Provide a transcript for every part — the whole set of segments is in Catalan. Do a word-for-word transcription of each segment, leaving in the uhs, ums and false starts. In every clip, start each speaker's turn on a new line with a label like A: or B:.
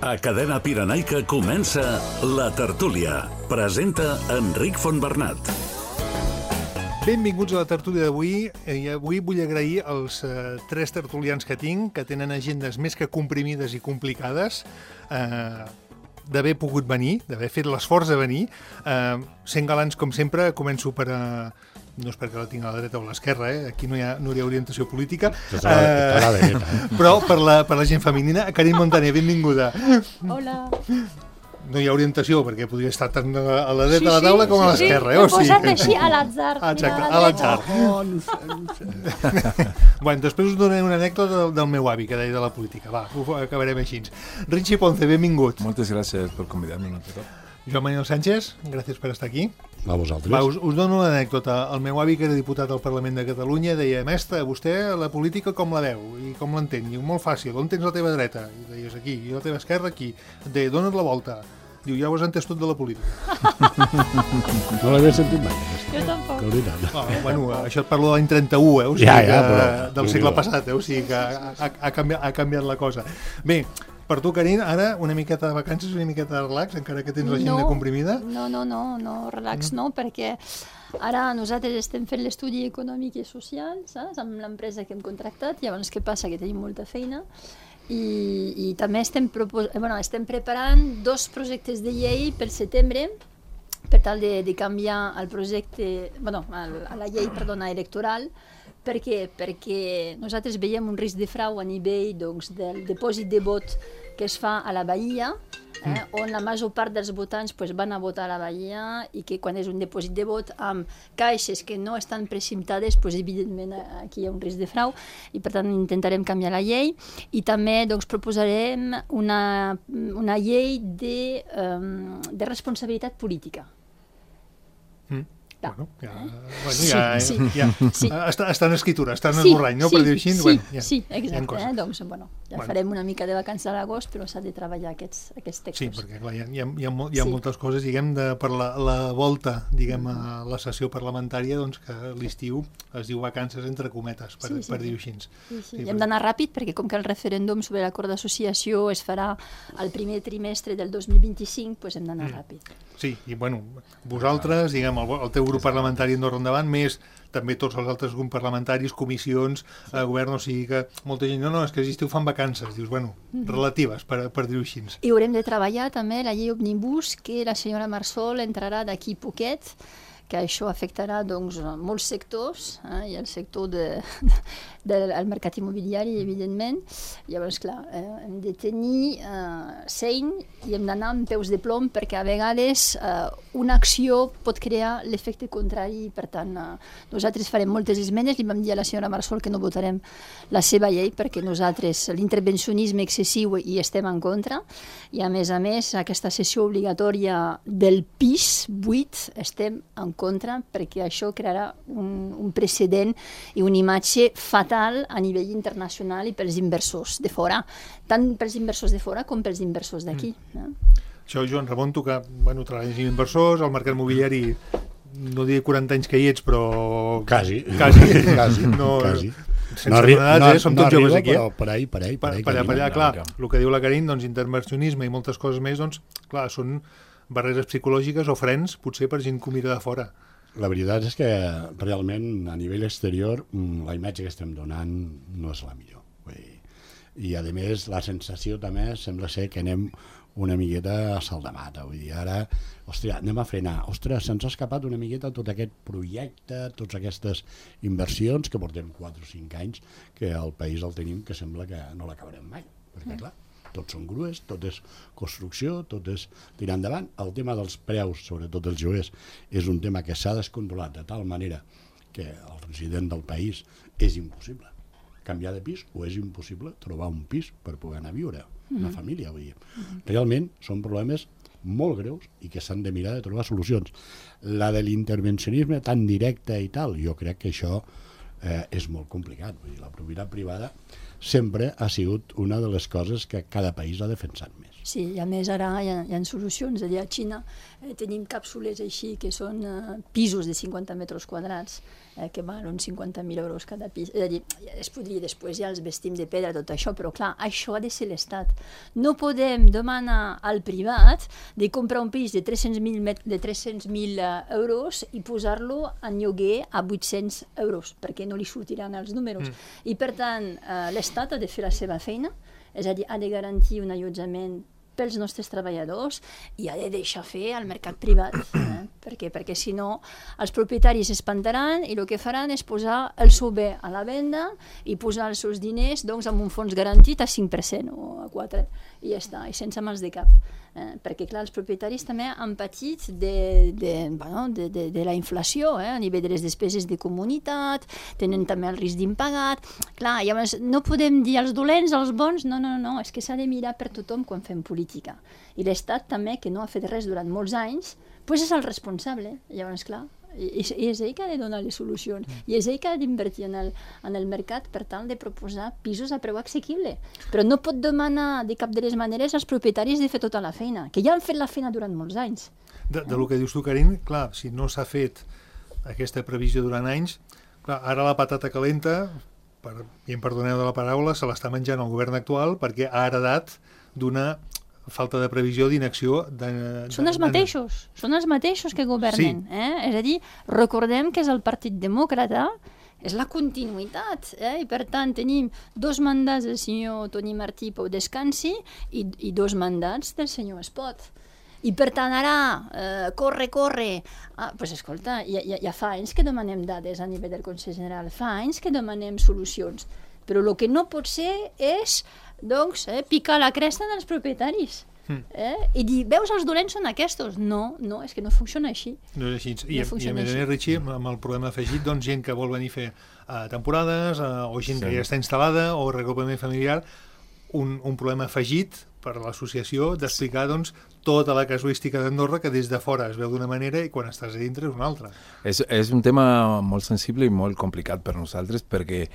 A: A Cadena Pirenaica comença La Tertúlia. Presenta Enric Fontbernat.
B: Benvinguts a la tertúlia d'avui. I avui vull agrair als eh, tres tertulians que tinc, que tenen agendes més que comprimides i complicades, eh, d'haver pogut venir, d'haver fet l'esforç de venir. Eh, sent galants, com sempre, començo per... Eh, no és perquè la tinc a la dreta o a l'esquerra, eh? Aquí no hi ha, no hi ha orientació política.
C: Tota la, tota la dreta, eh?
B: Però per la, per la gent femenina, Karin Montaner, benvinguda.
D: Hola.
B: No hi ha orientació, perquè podria estar tant a la dreta
D: Sí,
B: de la taula
D: sí,
B: com a
D: sí,
B: l'esquerra.
D: sí.
B: Eh?
D: M'he posat així a l'atzar.
B: Ah, exacte,
D: Mira,
B: a l'atzar.
C: Oh, no sé, no sé.
B: Bueno, després us donaré una anècdota del, del meu avi, que deia de la política. Va, ho acabarem així. Richie Ponce, benvingut.
E: Moltes gràcies per convidar-me. No?
B: Joan Manuel Sánchez, gràcies per estar aquí.
C: A vosaltres.
B: Va, us, us dono una anècdota. El meu avi, que era diputat al Parlament de Catalunya, deia: mestre, vostè la política com la veu i com l'entén? Diu, molt fàcil, on tens la teva dreta? I deies, aquí, i la teva esquerra, aquí. Et deia, dona't la volta. Diu, ja ho has entès tot de la política.
C: No l'havia sentit mai.
D: Jo tampoc.
C: De veritat.
B: Oh, bueno, això et parlo de l'any trenta-u, eh? O sigui,
C: Ja, ja,
B: que,
C: però-
B: del segle passat, eh? O sigui que ha, ha, ha, canviat, ha canviat la cosa. Bé, per tu, Karin, ara una miqueta de vacances, una miqueta de relax, encara que tens l'agenda comprimida.
D: No, no, no, no, relax no, perquè ara nosaltres estem fent l'estudi econòmic i social, saps? Amb l'empresa que hem contractat. Llavors, què passa? Que tenim molta feina. I, i també estem, propos... bueno, estem preparant dos projectes de llei per setembre per tal de, de canviar el projecte, bueno, el, la llei, perdona, electoral. Per què? Perquè nosaltres veiem un risc de frau a nivell, doncs, del dipòsit de vot que es fa a la Bahia, eh, on la major part dels votants pues, van a votar a la Bahia, i que quan és un dipòsit de vot amb caixes que no estan preciptades, pues, evidentment aquí hi ha un risc de frau, i per tant intentarem canviar la llei. I també doncs, proposarem una, una llei de, um, de responsabilitat política.
B: Mm.
D: Ja.
B: Bueno, ja,
D: Eh?
B: bueno,
D: Sí,
B: ja,
D: sí,
B: ja,
D: sí.
B: Està, està en escritura, està en
D: Sí,
B: esborrany, no?
D: sí,
B: Per dir així.
D: sí,
B: Bueno, ja,
D: sí,
B: hi ha
D: exacte.
B: coses.
D: Eh? Doncs, bueno, ja
B: Bueno.
D: farem una mica de vacances a l'agost, però s'ha de treballar aquests, aquests textos.
B: Sí, perquè clar, hi ha, hi ha, hi ha, mol- hi ha
D: Sí.
B: moltes coses, diguem, de, per la, la volta, diguem, a la sessió parlamentària, doncs que l'estiu es diu vacances entre cometes, per,
D: Sí, sí,
B: per
D: sí.
B: dir-ho així.
D: Sí, sí.
B: Sí,
D: I
B: però-
D: hem d'anar ràpid, perquè com que el referèndum sobre l'acord d'associació es farà al primer trimestre del dos mil vint-i-cinc, doncs hem d'anar
B: Mm.
D: ràpid.
B: Sí, i bueno, vosaltres, diguem, el, el teu grup parlamentari Andorra Endavant, més també tots els altres grups parlamentaris, comissions, eh, govern, o sigui que molta gent, no, no, és que l'estiu fan vacances, dius, bueno, relatives, per, per dir-ho així.
D: I haurem de treballar també la llei Òmnibus, que la senyora Marsol entrarà d'aquí poquet, que això afectarà doncs, molts sectors, eh, i el sector de, de, del mercat immobiliari, evidentment. Llavors, clar, eh, hem de tenir eh, seny i hem d'anar amb peus de plom, perquè a vegades eh, una acció pot crear l'efecte contrari. Per tant, eh, nosaltres farem moltes esmenes. Li vam dir a la senyora Marsol que no votarem la seva llei, perquè nosaltres l'intervencionisme excessiu hi estem en contra, i a més a més aquesta sessió obligatòria del pis buit estem en contra, perquè això crearà un, un precedent i una imatge fatal a nivell internacional i pels inversors de fora, tant pels inversors de fora com pels inversors d'aquí. Mm. Eh?
B: Això, Joan, Ramon, tu que, bueno, treballes amb inversors, al mercat mobiliari, no diré quaranta anys que hi ets, però...
C: Quasi.
B: Quasi.
C: Quasi.
B: No,
C: Quasi.
B: sense no, edats, eh? Som tots
C: arriba,
B: joves aquí, eh?
C: Però per ahí, per ahí,
B: Per,
C: per ahí.
B: per allà, per allà,
C: camina.
B: clar, el que diu la Karin, doncs, intervencionisme i moltes coses més, doncs, clar, són barreres psicològiques o frens, potser per gent que ho mira de fora.
C: La veritat és que realment a nivell exterior mm, la imatge que estem donant no és la millor. Vull dir, i a més la sensació també sembla ser que anem una miqueta a salt de mata. Vull dir, ara, hòstia, anem a frenar. Ostres, se'ns ha escapat una miqueta tot aquest projecte, totes aquestes inversions que portem quatre o cinc anys que al país el tenim, que sembla que no l'acabarem mai. Perquè, clar, tot són grues, tot és construcció, tot és tirar endavant. El tema dels preus, sobretot els lloguers, és un tema que s'ha descontrolat de tal manera que el resident del país és impossible canviar de pis, o és impossible trobar un pis per poder anar a viure, una família, vull dir. Realment són problemes molt greus i que s'han de mirar de trobar solucions. La de l'intervencionisme tan directe i tal, jo crec que això eh, és molt complicat. Vull dir, la propietat privada sempre ha sigut una de les coses que cada país ha defensat més.
D: Sí, i a més ara hi ha, hi ha solucions. És a dir, a Xina eh, tenim càpsules així que són eh, pisos de cinquanta metres quadrats eh, que valen uns cinquanta mil euros cada pis. És a dir, es podria, després ja els vestim de pedra, tot això, però clar, això ha de ser l'Estat. No podem demanar al privat de comprar un pis de tres-cents mil de tres-cents mil euros i posar-lo en lloguer a vuit-cents euros, perquè no li sortiran els números. Mm. I per tant, eh, l'Estat ha de fer la seva feina, és a dir, ha de garantir un allotjament pels nostres treballadors i ha de deixar fer al mercat privat. Eh? Per què? Perquè si no, els propietaris espantaran i el que faran és posar el seu bé a la venda i posar els seus diners doncs, amb un fons garantit a cinc per cent o a quatre per cent i ja està, i sense mals de cap. Eh? Perquè, clar, els propietaris també han patit de, de, bueno, de, de, de la inflació, eh? A nivell de les despeses de comunitat, tenen també el risc d'impagat. Clar, llavors no podem dir als dolents, als bons, no, no, no, és que s'ha de mirar per tothom quan fem política. I l'Estat també, que no ha fet res durant molts anys, doncs és el responsable. Llavors, clar, i, i és ell que ha de donar les solucions. I és ell que ha d'invertir en, el, en el mercat per tal de proposar pisos a preu assequible. Però no pot demanar de cap de les maneres als propietaris de fer tota la feina, que ja han fet la feina durant molts anys.
B: De, de lo que dius tu, Karin, clar, si no s'ha fet aquesta previsió durant anys, clar, ara la patata calenta, per, i em perdoneu de la paraula, se l'està menjant el govern actual perquè ha heredat d'una falta de previsió, d'inacció... De, de,
D: són els mateixos, de... són els mateixos que governen. Sí. Eh? És a dir, recordem que és el Partit Demòcrata, és la continuïtat, eh? I per tant tenim dos mandats del senyor Toni Martí Pau Descansi i, i dos mandats del senyor Espot. I per tant ara, eh, corre, corre, ah, pues escolta, ja, ja, ja fa anys que demanem dades a nivell del Consell General, fa anys que demanem solucions, però el que no pot ser és doncs, eh, picar la cresta dels propietaris. Mm. Eh? I dir, veus, els dolents són aquests. No, no, és que no funciona així.
B: No és així. I, no i a més a més, Richie, amb el problema afegit, doncs, gent que vol venir a fer uh, temporades, uh, o gent sí. que ja està instal·lada, o regrupament familiar, un, un problema afegit per a l'associació d'explicar doncs, tota la casuística d'Andorra, que des de fora es veu d'una manera i quan estàs a dintre és una altra.
E: És, és un tema molt sensible i molt complicat per nosaltres, perquè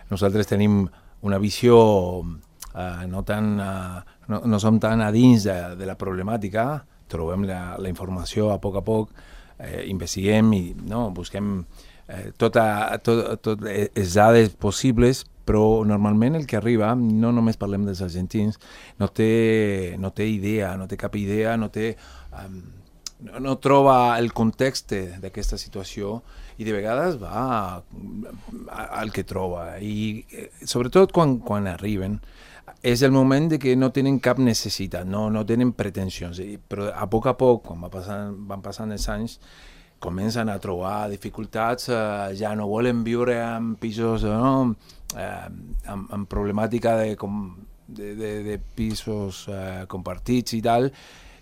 E: nosaltres tenim una visió uh, no, tan, uh, no, no som tan a dins de, de la problemàtica, trobem la, la informació a poc a poc, eh, investiguem i no, busquem eh, tota, tot, tot les dades possibles, però normalment el que arriba, no només parlem dels argentins, no té, no té idea, no té cap idea, no té... Um, no, no troba el context d'aquesta situació i de vegades va al que troba. I sobretot quan, quan arriben, és el moment de que no tenen cap necessitat, no, no tenen pretensions. Però a poc a poc, quan va passant, van passant els anys, comencen a trobar dificultats, eh, ja no volen viure en pisos, no? eh, amb, amb problemàtica de, com, de, de, de pisos eh, compartits i tal,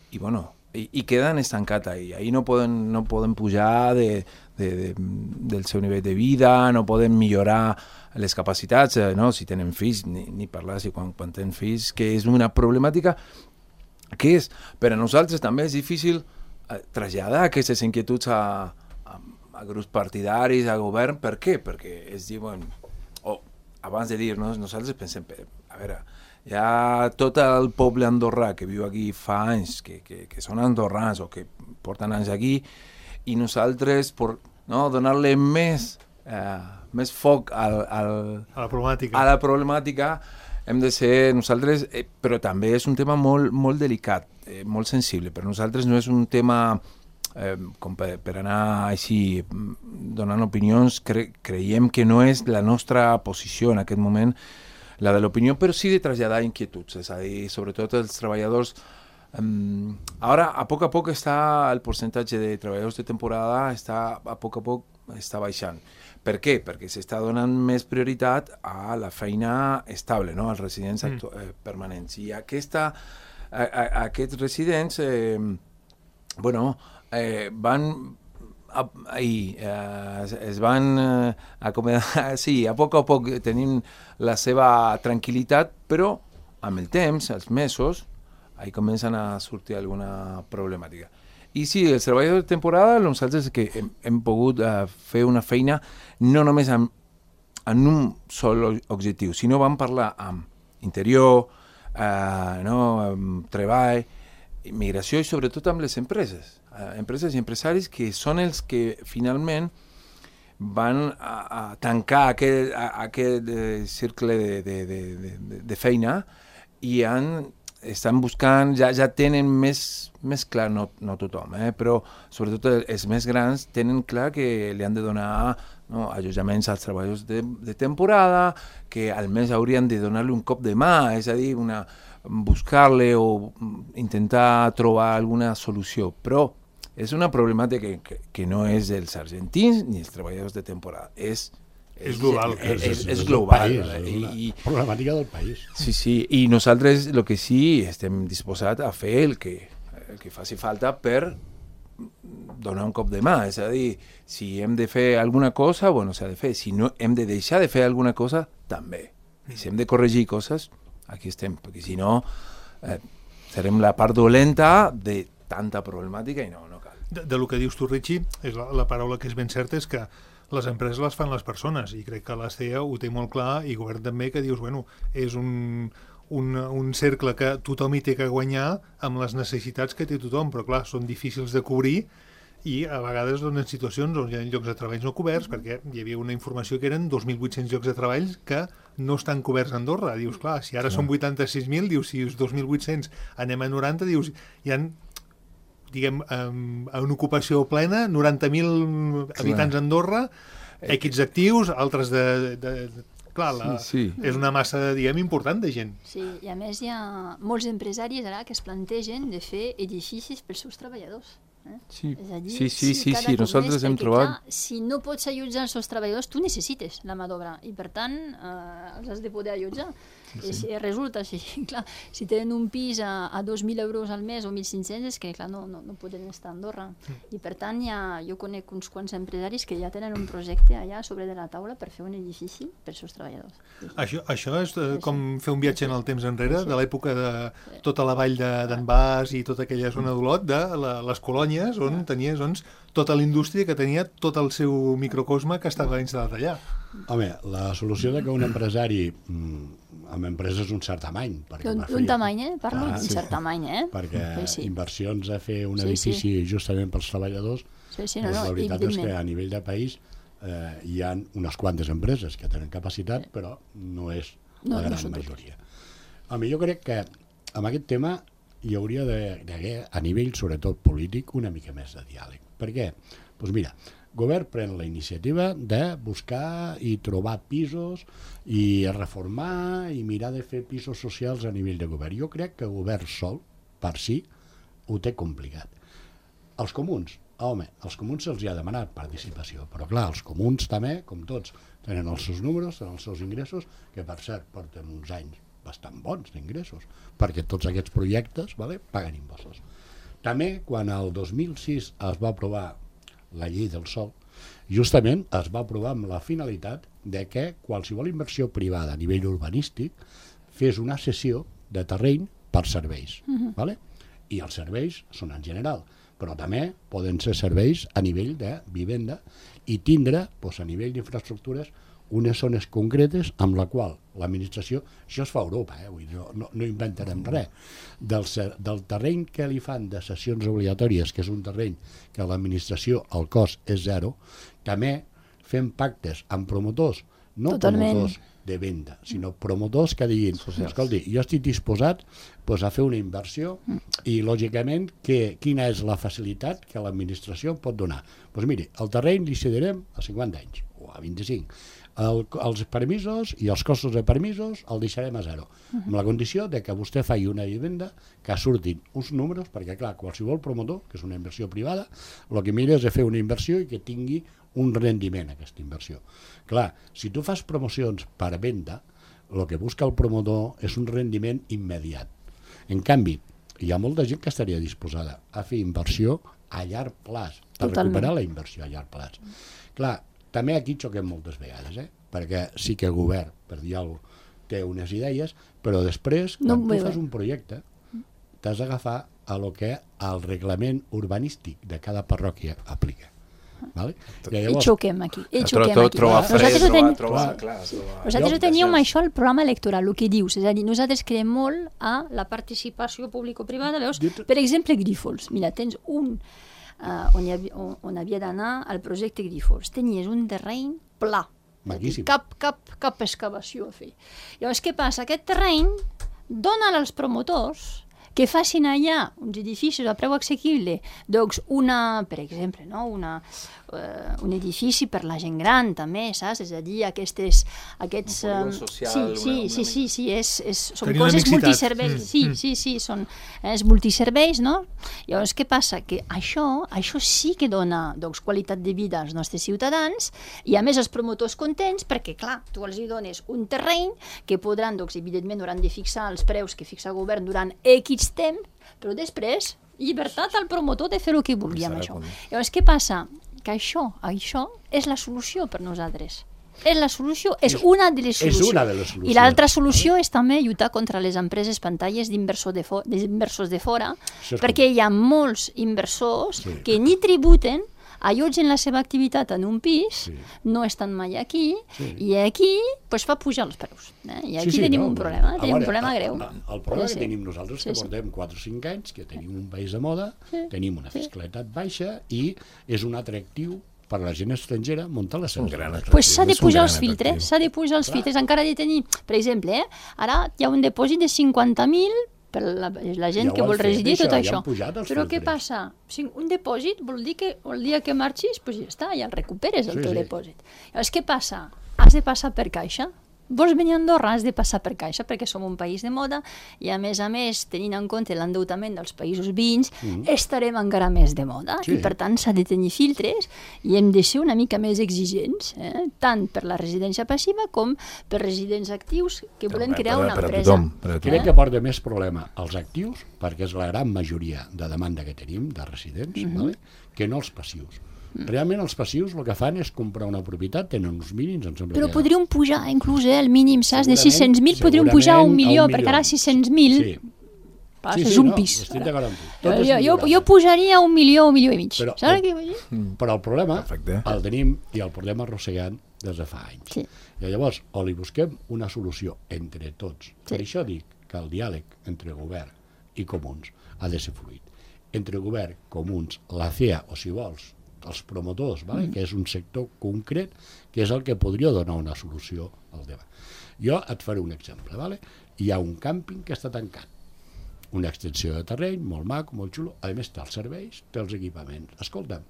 E: i bueno, i, i queden estancats ahí. Ahí no poden, no poden pujar de, de, de, del seu nivell de vida, no poden millorar les capacitats, eh, no? Si tenen fills, ni, ni parlar si quan, quan tenen fills, que és una problemàtica que és, per a nosaltres també és difícil eh, traslladar aquestes inquietuds a, a, a grups partidaris, a govern. Per què? Perquè es diuen, o abans de dir-nos, nosaltres pensem, a veure, hi ha tot el poble andorrà que viu aquí fa anys, que, que, que són andorrans o que porten anys aquí, i nosaltres, per no, donar-li més, eh, més foc al, al,
B: a la problemàtica,
E: a la problemàtica hem de ser nosaltres, eh, però també és un tema molt, molt delicat, eh, molt sensible. Per nosaltres no és un tema eh, com per, per anar així donant opinions, cre, creiem que no és la nostra posició en aquest moment, la de l'opinió, però sí de traslladar inquietuds, és a dir, sobretot els treballadors. Um, ara, a poc a poc està el percentatge de treballadors de temporada, està, a poc a poc està baixant. Per què? Perquè s'està donant més prioritat a la feina estable, no? Als residents mm. eh, permanents. I aquesta, a, a, aquests residents eh, bueno, eh, van... Ahí, eh, es van eh, acomiadar, sí, a poc a poc tenim la seva tranquil·litat, però amb el temps, els mesos, ahí comencen a sortir alguna problemàtica. I sí, els treballadors de temporada, nosaltres que hem, hem pogut eh, fer una feina no només amb, amb un sol objectiu, sinó vam parlar amb interior, uh, no, um, treball, migració i sobretot amb les empreses, uh, empreses i empresaris que són els que finalment van a, a tancar aquest, a, aquest eh, cercle de, de, de, de, de feina i han, estan buscant, ja, ja tenen més, més clar, no, no tothom, eh, però sobretot els més grans tenen clar que li han de donar, no, allotjaments als treballadors de, de temporada, que almenys haurien de donar-li un cop de mà, és a dir, una, buscar-li o intentar trobar alguna solució, però és una problemàtica que, que, que no és dels argentins ni els treballadors de temporada, és
B: És global.
E: És, és, és, és
C: global.
E: global.
C: País,
E: I,
C: és
E: i,
C: problemàtica del país.
E: Sí, sí, i nosaltres el que sí estem disposats a fer el que, el que faci falta per donar un cop de mà, és a dir, si hem de fer alguna cosa, bueno, s'ha de fer, si no hem de deixar de fer alguna cosa, també. I si hem de corregir coses, aquí estem, perquè si no eh, serem la part dolenta de tanta problemàtica i no, no cal.
B: De, de lo que dius tu, Richie, és la, la paraula que és ben certa és que les empreses les fan les persones i crec que l'A C E A ho té molt clar i el govern també, que dius, bueno, és un, un, un cercle que tothom hi té que guanyar amb les necessitats que té tothom, però clar, són difícils de cobrir i a vegades donen situacions on hi ha llocs de treball no coberts, perquè hi havia una informació que eren dos mil vuit-cents llocs de treball que no estan coberts a Andorra. Dius, clar, si ara clar. Són vuitanta-sis mil, dius, si és dos mil vuit-cents anem a noranta, dius, hi ha diguem, um, en ocupació plena, noranta mil habitants a Andorra, equips actius, altres de... de, de clar, la, sí, sí. És una massa, diguem, important de gent.
D: Sí, i a més hi ha molts empresaris ara que es plantegen de fer edificis pels seus treballadors. Eh?
E: Sí.
D: És a dir,
E: sí, sí, sí, sí,
D: sí,
E: nosaltres hem trobat...
D: Clar, si no pots allotjar els seus treballadors, tu necessites la mà d'obra i per tant eh, els has de poder allotjar. Sí, sí. I si resulta, si, clar, si tenen un pis a, a dos mil euros al mes o mil cinc-cents, és que clar, no, no, no poden estar a Andorra. Mm. I per tant ja, jo conec uns quants empresaris que ja tenen un projecte allà sobre de la taula per fer un edifici per als seus treballadors. Sí, sí.
B: Això, això és eh, com fer un viatge en el temps enrere, sí. De l'època de tota la vall d'en Bas i tota aquella zona d'Olot, de la, les colònies, on tenies doncs, tota la indústria que tenia tot el seu microcosme que estava instal·lat allà.
C: Home, la solució de que un empresari mm, amb empreses d'un cert tamany...
D: Un, un tamany, eh? Parlo d'un cert tamany, eh?
C: Perquè sí, sí. Inversions a fer un
D: sí,
C: edifici
D: sí.
C: justament pels treballadors,
D: sí, sí, no, no,
C: la veritat és que a nivell de país eh, hi ha unes quantes empreses que tenen capacitat, sí. però no és
D: no,
C: la gran
D: no
C: majoria. Home, jo crec que amb aquest tema hi hauria d'haver, a nivell sobretot polític, una mica més de diàleg. Per què? Doncs mira, el govern pren la iniciativa de buscar i trobar pisos i reformar i mirar de fer pisos socials a nivell de govern. Jo crec que el govern sol, per si, ho té complicat. Els comuns, home, als comuns se'ls ha demanat participació, però clar, els comuns també, com tots, tenen els seus números, tenen els seus ingressos, que per cert porten uns anys bastant bons d'ingressos, perquè tots aquests projectes vale, paguen impostos. També, quan el dos mil sis es va aprovar la llei del sòl, justament es va aprovar amb la finalitat de que qualsevol inversió privada a nivell urbanístic fes una cessió de terreny per serveis. Uh-huh. Vale? I els serveis són en general, però també poden ser serveis a nivell de vivenda i tindre, doncs, a nivell d'infraestructures, unes zones concretes amb la qual l'administració, això es fa a Europa, eh? Vull dir, no, no, no inventarem res, del, del terreny que li fan de cessions obligatòries, que és un terreny que l'administració, el cost és zero, també fem pactes amb promotors, no Totalment. promotors de venda, sinó promotors que diguin, escolti, jo estic disposat pues, a fer una inversió i, lògicament, que, quina és la facilitat que l'administració pot donar? Doncs pues, miri, el terreny li cedirem a cinquanta anys o a vint-i-cinc. El, els permisos i els costos de permisos el deixarem a zero, uh-huh. amb la condició de que vostè faci una vivenda que surtin uns números, perquè clar, qualsevol promotor, que és una inversió privada, el que mira és de fer una inversió i que tingui un rendiment aquesta inversió. Clar, si tu fas promocions per venda, el que busca el promotor és un rendiment immediat. En canvi, hi ha molta gent que estaria disposada a fer inversió a llarg plaç, a Totalment. recuperar la inversió a llarg plaç. Clar, també aquí xoquem moltes vegades, eh? Perquè sí que el govern, per dir alguna cosa, té unes idees, però després, quan no tu fas un projecte, t'has d'agafar a lo que el reglament urbanístic de cada parròquia aplica. Vale?
D: I, llavors, I xoquem aquí. I xoquem
E: tro,
D: aquí.
E: Trobar fred,
D: nosaltres
E: trobar,
D: ten...
E: trobar, clar, trobar...
D: Nosaltres teníem això al programa electoral, el que dius. És a dir, nosaltres creiem molt a la participació público-privada. Veus? Per exemple, Grífols. Mira, tens un... Uh, on, havia, on, on havia d'anar al projecte Grífols. Tenies un terreny pla.
C: Maquíssim.
D: Cap, cap, cap excavació a fer. Llavors, què passa? Aquest terreny dona als promotors que facin allà uns edificis a preu assequible, doncs una, per exemple, no? una, uh, un edifici per la gent gran també, saps? És a dir, aquestes... Aquests,
E: un social,
D: sí, sí,
E: una, una
D: sí, sí, sí, és, és, són
B: Tenir
D: coses multiserveis.
B: Mm.
D: Sí,
B: Mm.
D: sí, sí, són és multiserveis, no? Llavors, què passa? Que això, això sí que dona doncs, qualitat de vida als nostres ciutadans i, a més, els promotors contents perquè, clar, tu els hi dones un terreny que podran, doncs, evidentment, hauran de fixar els preus que fixa el govern durant X temps, però després, llibertat al promotor de fer el que vulgui amb això. Llavors, què passa? Que això, això és la solució per nosaltres. És la solució, és una de les solucions.
C: És una de les solucions.
D: I l'altra solució és també lluitar contra les empreses pantalles d'inversors de, fo d'inversors de fora, perquè hi ha molts inversors sí. que ni tributen, allotgen la seva activitat en un pis, sí. no estan mai aquí, sí. i aquí pues, fa pujar els preus. Eh? I aquí sí, sí, tenim no, un problema, eh? tenim veure, un problema greu.
C: El, el problema sí, que tenim nosaltres, sí, que portem quatre o cinc anys, que tenim un país de moda, sí, tenim una fiscalitat sí. baixa i és un atractiu per a la gent estrangera muntar la seva
E: gran
C: empresa.
D: Pues s'ha de pujar els filtres, s'ha de pujar els filtres, encara de tenir, per exemple, eh, ara hi ha un dipòsit de cinquanta mil per la, la gent ja que vol residir tot això.
C: Ja
D: Però què passa? Un dipòsit vol dir que el dia que marxis, pues ja està, ja el recuperes, el sí, teu sí. dipòsit. Llavors, què passa? Has de passar per caixa. Vols venir a Andorra, has de passar per caixa, perquè som un país de moda i, a més a més, tenint en compte l'endeutament dels països veïns, mm. estarem encara més de moda. Sí. I, per tant, s'ha de tenir filtres i hem de ser una mica més exigents, eh? tant per la residència passiva com per residents actius que volem
E: per,
D: crear
E: per,
D: una
E: per
D: empresa.
E: Tothom, per
C: tothom. Crec que porta més problema als actius, perquè és la gran majoria de demanda que tenim de residents, mm-hmm. vale? que no els passius. Realment els passius el que fan és comprar una propietat, tenen uns mínims, em sembla.
D: Però
C: que...
D: podríem pujar inclús eh, el mínim, saps? De sis-cents mil podríem pujar a un milió, perquè ara sis-cents mil
C: sí.
D: Pas,
C: sí, sí,
D: és un
C: no,
D: pis.
C: Estic d'acord amb tu.
D: Jo, jo, jo, jo pujaria un milió, un milió i mig.
C: Però,
D: saps què vull dir?
C: Però el problema
E: Perfecte.
C: el tenim i el portem arrossegant des de fa anys.
D: Sí.
C: I llavors, o li busquem una solució entre tots.
D: Sí.
C: Per això dic que el diàleg entre govern i comuns ha de ser fluid. Entre govern, comuns, la C E A, o si vols, els promotors, vale? mm. que és un sector concret, que és el que podria donar una solució al tema. Jo et faré un exemple. Vale? Hi ha un càmping que està tancat. Una extensió de terreny, molt maco, molt xulo. A més, té els serveis, té els equipaments. Escolta'm,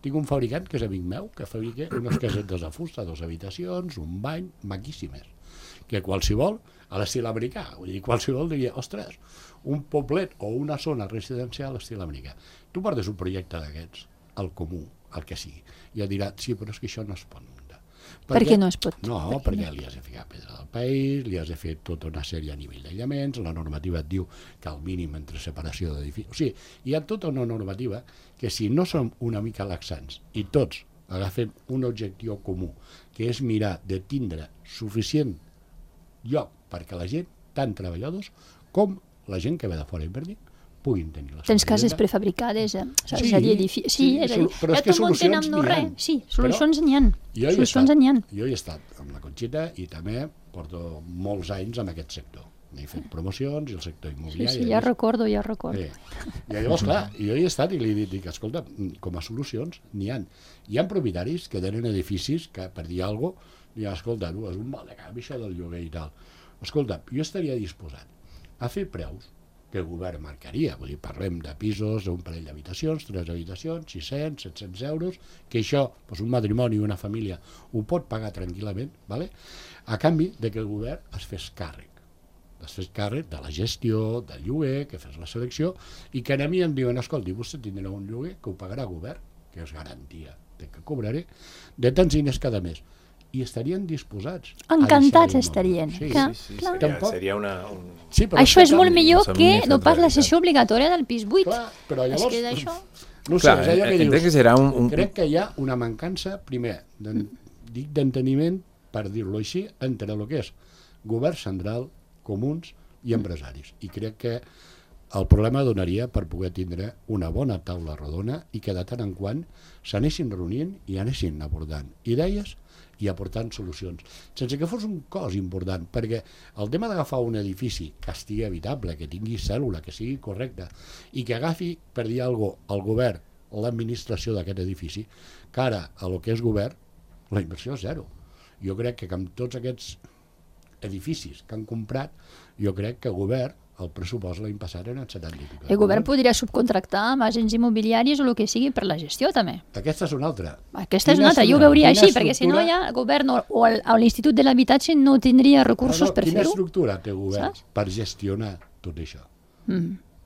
C: tinc un fabricant que és amic meu, que fabrica unes casetes de fusta, dues habitacions, un bany, maquíssimes, que qualsevol, a l'estil americà, vull dir, qualsevol diria, ostres, un poblet o una zona residencial a l'estil americà. Tu portes un projecte d'aquests, al comú, el que sigui, i et dirà, sí, però és que això no es pot muntar.
D: Per què no es pot?
C: No, perquè, perquè li has de ficar pedra del país, li has de fer tota una sèrie a nivell d'aïllaments, la normativa et diu que el mínim entre separació d'edificis... O sigui, hi ha tota una normativa que si no som una mica laxants i tots agafem un objectiu comú, que és mirar de tindre suficient lloc perquè la gent, tant treballadors com la gent que ve de fora a invertir, puguin tenir la
D: Tens cases prefabricades, eh?
C: Sí,
D: és a dir, edifici... sí,
C: sí,
D: és a dir,
C: però és que solucions n'hi ha.
D: Sí, solucions n'hi ha. Solucions n'hi ha.
C: Jo hi he estat amb la Conxita i també porto molts anys en aquest sector. He fet promocions i el sector immobiliari.
D: Sí, sí, ja recordo, ja recordo.
C: Sí. I llavors, clar, jo hi he estat i li dic, escolta, com a solucions n'hi ha. Hi ha propietaris que tenen edificis que, per dir alguna cosa, diuen, escolta, tu, és un mal de cap, això del lloguer i tal. Escolta, jo estaria disposat a fer preus que el govern marcaria, vull dir, parlem de pisos d'un parell d'habitacions, tres habitacions, sis-cents, set-cents euros, que això, doncs un matrimoni i una família ho pot pagar tranquil·lament, ¿vale? A canvi de que el govern es fes càrrec, es fes càrrec de la gestió, del lloguer, que fes la selecció, i que a mi em diuen, escolti, vostè tindrà un lloguer que ho pagarà el govern, que és garantia de que cobraré, de tants diners cada mes. I estarien disposats.
D: Encantats estarien.
C: Sí,
D: clar,
E: sí, sí,
D: clar.
E: seria, seria una... Un...
C: Sí, però
D: això és molt
C: canvi.
D: millor que no pas la sessió obligatòria del pis buit.
C: Clar, però llavors...
D: Es queda això...
C: No
E: clar,
C: sé, és allò que dius,
E: que serà un, un...
C: crec que hi ha una mancança, primer, dic d'enteniment, per dir-lo així, entre el que és govern central, comuns i empresaris. I crec que el problema donaria per poder tindre una bona taula rodona i que de tant en quant s'anessin reunint i anessin abordant idees i aportant solucions, sense que fos un cos important, perquè el tema d'agafar un edifici que estigui habitable, que tingui cèl·lula, que sigui correcte, i que agafi, per dir alguna cosa, el govern, l'administració d'aquest edifici, que ara, a lo que és govern, la inversió és zero. Jo crec que amb tots aquests edificis que han comprat, jo crec que el govern, el pressupost l'any passat eren setanta i pico.
D: El govern podria subcontractar amb agents immobiliaris o el que sigui per la gestió, també.
C: Aquesta és una altra.
D: Aquesta és una altra, jo ho veuria així, perquè si no ja el govern o l'Institut de l'Habitatge no tindria recursos per fer-ho.
C: Quina estructura té el govern per gestionar tot això?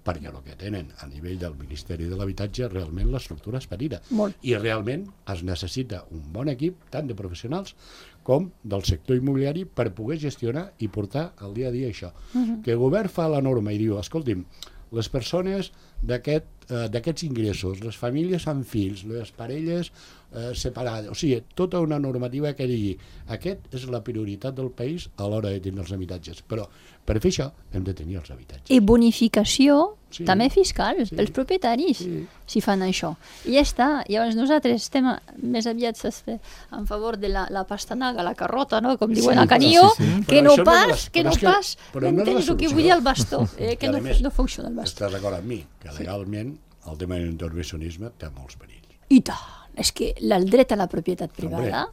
C: Perquè el que tenen a nivell del Ministeri de l'Habitatge realment l'estructura és petita. I realment es necessita un bon equip, tant de professionals com del sector immobiliari, per poder gestionar i portar al dia a dia això. Que el govern fa la norma i diu, escolti'm, les persones d'aquests ingressos, les famílies amb fills, les parelles separades, o sigui, tota una normativa que digui aquest és la prioritat del país a l'hora de tenir els habitatges, però per fer això hem de tenir els habitatges.
D: I bonificació també fiscal pels propietaris, si fan això. I ja està, llavors nosaltres estem més aviat en favor de la pastanaga, la carrota, com diuen a Canillo, que no pas, que no pas, m'entens el que vull dir el bastó, que no funciona el bastó.
C: Estàs d'acord amb mi, que legalment el tema de l'intervencionisme té molts perills.
D: I tant! És que el dret a la propietat privada,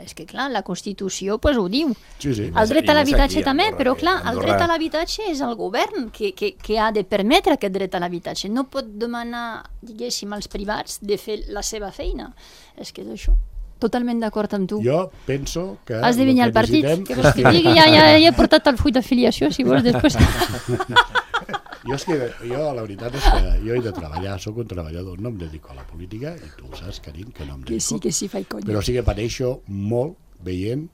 D: és que clar, la Constitució ho diu. El dret a l'habitatge també, però clar, el dret a l'habitatge és el govern que ha de permetre aquest dret a l'habitatge. No pot demanar, diguéssim, als privats de fer la seva feina. És que és això. Totalment d'acord amb tu.
C: Jo penso que...
D: Has de venir al partit, que vols que digui, ja he portat el full d'afiliació, si vols després...
C: Jo, és que, jo, la veritat és que jo he de treballar, sóc un treballador, no em dedico a la política, i tu ho saps, Karim, que no em dedico.
D: Que sí, que sí, faig conya.
C: Però sí que pateixo molt veient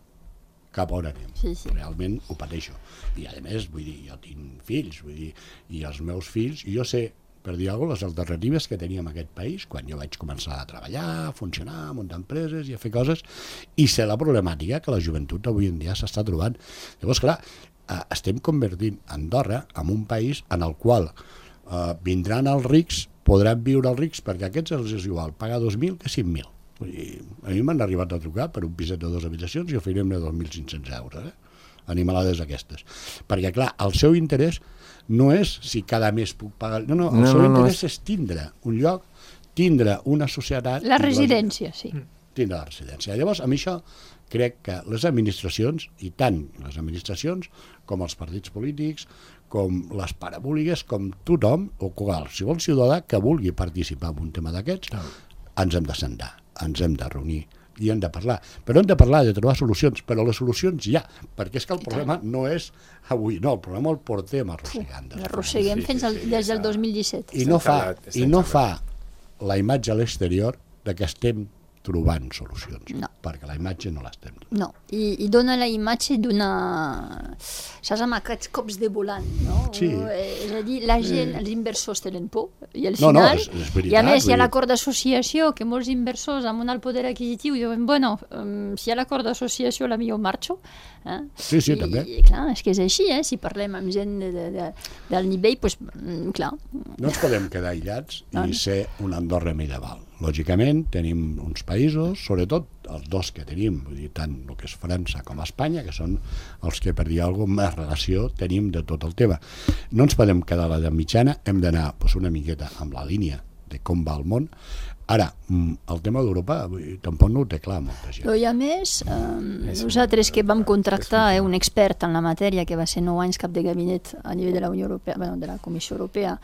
C: cap on anem.
D: Sí, sí.
C: Realment ho pateixo. I a més, vull dir, jo tinc fills, vull dir, i els meus fills, i jo sé, per dir alguna cosa, les alternatives que teníem en aquest país, quan jo vaig començar a treballar, a funcionar, a muntar empreses i a fer coses, i sé la problemàtica que la joventut avui en dia s'està trobant. Llavors, clar, estem convertint Andorra en un país en el qual eh, vindran els rics, podran viure els rics, perquè a aquests els és igual pagar dos mil que cinc mil. A mi m'han arribat a trucar per un piset de dues habitacions i oferim-ne dos mil cinc-cents euros, eh? Animalades aquestes. Perquè, clar, el seu interès no és si cada mes puc pagar... No, no, el no, seu no, interès no és... és tindre un lloc, tindre una societat...
D: La residència, sí.
C: Tindre la residència. Llavors, amb això crec que les administracions, i tant les administracions com els partits polítics, com les parabòligues, com tothom, o qualsevol ciutadà que vulgui participar en un tema d'aquests, ens hem de sentar, ens hem de reunir i hem de parlar. Però hem de parlar, de trobar solucions, però les solucions ja, perquè és que el problema no és avui, no, el problema el portem arrossegant.
D: L'arrosseguem fins des del dos mil disset.
C: I no fa, i no fa la imatge a l'exterior de que estem trobant solucions,
D: no.
C: Perquè la imatge no l'estem trobant.
D: No, I, i dona la imatge d'una... Saps, amb aquests cops de volant, no?
C: Sí.
D: És a dir, la gent, els inversors tenen por, i al
C: no,
D: final...
C: No, és, és veritat,
D: i a més, hi ha l'acord d'associació, que molts inversors amb un alt poder adquisitiu diuen, bueno, um, si hi ha l'acord d'associació, la millor marxo. Eh?
C: Sí, sí,
D: I,
C: també.
D: I clar, és que és així, eh? Si parlem amb gent de, de, de, del nivell, doncs, clar...
C: No ens podem quedar aïllats
D: no.
C: i ser una Andorra medieval. Lògicament, tenim uns països, sobretot els dos que tenim, vull dir, tant el que és França com Espanya, que són els que, per dir alguna cosa, més relació tenim de tot el tema. No ens podem quedar a l'edat mitjana, hem d'anar doncs, una miqueta amb la línia de com va el món. Ara, el tema d'Europa tampoc no ho té clar molta gent.
D: Però i a més, eh, nosaltres que vam contractar eh, un expert en la matèria, que va ser nou anys cap de gabinet a nivell de la Unió Europea, bueno, de la Comissió Europea,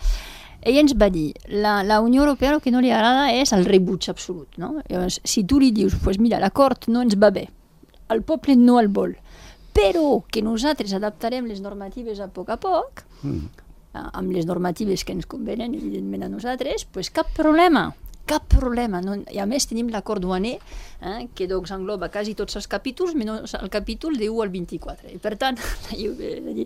D: ell ens va dir, la, la Unió Europea el que no li agrada és el rebuig absolut, no? Llavors, si tu li dius, pues mira, l'acord no ens va bé, el poble no el vol, però que nosaltres adaptarem les normatives a poc a poc, mm. amb les normatives que ens convenen, evidentment, a nosaltres, pues cap problema. Cap problema. No? I a més tenim l'acord duaner, eh, que doncs engloba quasi tots els capítols, menys el capítol de u al vint-i-quatre. I per tant, la lliure,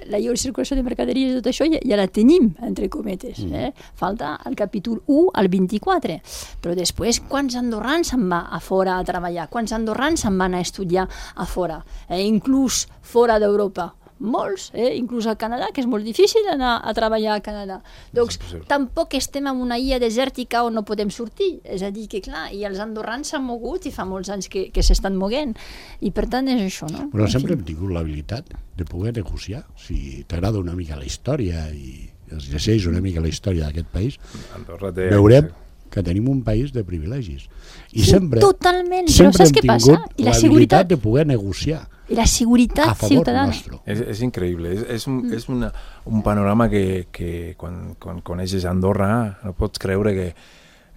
D: la lliure circulació de mercaderies i tot això ja, ja la tenim, entre cometes. Eh? Falta el capítol u al vint-i-quatre. Però després, quants andorrans se'n va a fora a treballar? Quants andorrans se'n van a estudiar a fora? Eh? Inclús fora d'Europa. molts, eh? Inclús al Canadà, que és molt difícil anar a treballar al Canadà. Doncs tampoc estem en una illa desèrtica on no podem sortir. És a dir, que clar, i els andorrans s'han mogut i fa molts anys que, que s'estan moguent. I per tant és això, no?
C: Però sempre hem tingut l'habilitat de poder negociar. Si t'agrada una mica la història i es llegeix una mica la història d'aquest país,
E: té...
C: veurem que tenim un país de privilegis. I
D: sí,
C: sempre,
D: totalment.
C: sempre
D: però
C: hem tingut l'habilitat de poder negociar.
D: I la seguretat
C: a favor
D: ciutadana.
C: nostre.
E: És, és increïble. És, és, un, és una, un panorama que, que quan, quan coneixes Andorra no pots creure que,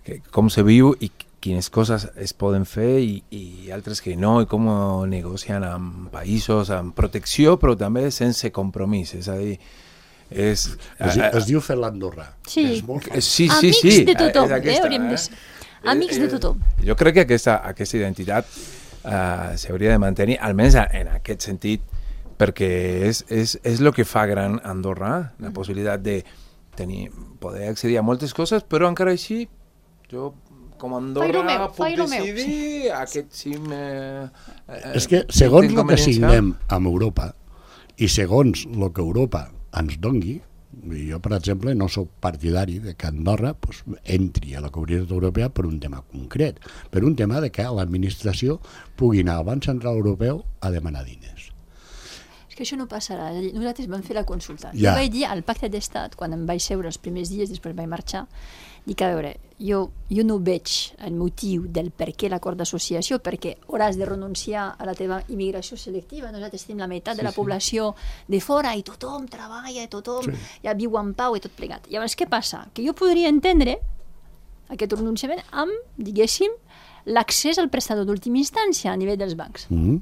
E: que com se viu i quines coses es poden fer i, i altres que no, i com negocien amb països, amb protecció, però també sense compromís. És a dir, és,
C: Es, es diu fer l'Andorra.
D: Sí.
C: És molt fàcil.
E: Sí, sí,
D: Amics
E: sí.
D: de tothom,
E: És aquesta,
D: eh, hauríem de ser. Amics de tothom.
E: Jo crec que aquesta, aquesta identitat uh, s'hauria de mantenir, almenys en aquest sentit, perquè és, és, és el que fa gran Andorra, la possibilitat de tenir, poder accedir a moltes coses, però encara així, jo com a Andorra
D: meu,
E: puc decidir
D: sí.
E: aquest cim... Eh, eh,
C: És que segons el que
E: inconveniència.
C: signem amb Europa i segons el que Europa ens dongui, jo, per exemple, no sóc partidari de que Andorra pues, entri a la Comunitat Europea per un tema concret, per un tema de que l'administració pugui anar al Banc Central Europeu a demanar diners.
D: És que això no passarà. És a dir, nosaltres vam fer la consulta.
C: Ja.
D: Jo vaig dir al Pacte d'Estat, quan em vaig seure els primers dies, després vaig marxar, dic, a veure, jo, jo no veig el motiu del per què l'acord d'associació, perquè hauràs de renunciar a la teva immigració selectiva. Nosaltres tenim la meitat
E: Sí,
D: de la
E: sí.
D: població de fora i tothom treballa, i tothom
C: Sí.
D: ja viu en pau i tot plegat. Llavors, què passa? Que jo podria entendre aquest renunciament amb, diguéssim, l'accés al prestador d'última instància a nivell dels bancs.
C: Mm.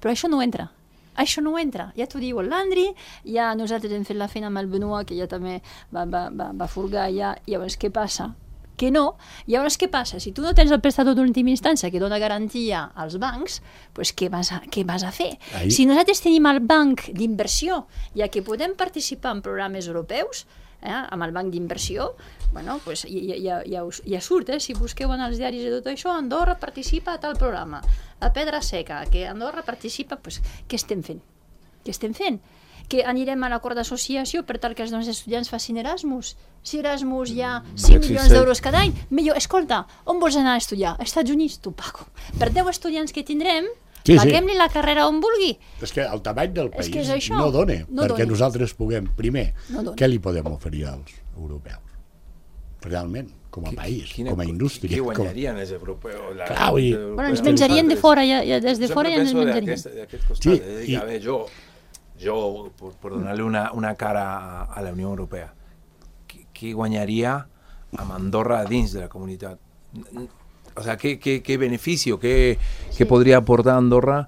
D: Però això no entra. Això no entra. Ja t'ho diu el Landry, ja nosaltres hem fet la feina amb el Benoit, que ja també va, va, va, va furgar ja. Llavors, què passa? Que no. Llavors, què passa? Si tu no tens el prestador d'última instància que dona garantia als bancs, pues què vas a, què vas a fer?
C: Ahí.
D: Si nosaltres tenim el banc d'inversió, ja que podem participar en programes europeus, eh, amb el banc d'inversió, bueno, pues ja, ja, ja, us, ja surt, eh? Si busqueu en els diaris de tot això, Andorra participa a tal programa, a Pedra Seca, que Andorra participa, pues, què estem fent? Què estem fent? Que anirem a l'acord d'associació per tal que els nostres estudiants facin Erasmus? Si Erasmus hi ha cinc milions d'euros cada any, millor, escolta, on vols anar a estudiar? Als Estats Units, tu pago. Per deu estudiants que tindrem,
C: Sí, sí.
D: paguem-li la carrera on vulgui.
C: És que el tamany del
D: És
C: país
D: que és això.
C: no dona,
D: No
C: perquè
D: dona.
C: nosaltres puguem, primer,
D: No dona.
C: què li podem oferir als europeus? Realment, com a país,
E: Quina-
C: com a indústria.
E: Què
C: com a-
E: guanyarien els europeus? La,
C: Clar, vull dir-
E: els
D: Bueno, ens
E: europeus,
D: menjarien de
E: nosaltres.
D: fora, ja, ja, des de
E: Jo
D: fora ja
E: sempre
D: ens
E: penso
D: menjarien.
E: d'aquest- d'aquest costat.
C: Sí,
E: És a dir,
C: i-
E: a veure, jo, jo per, per donar-li una, una cara a, a la Unió Europea, què, què guanyaria amb Andorra dins de la comunitat? O sea, ¿qué, qué, qué beneficio, qué,
D: Sí.
E: qué podría aportar Andorra?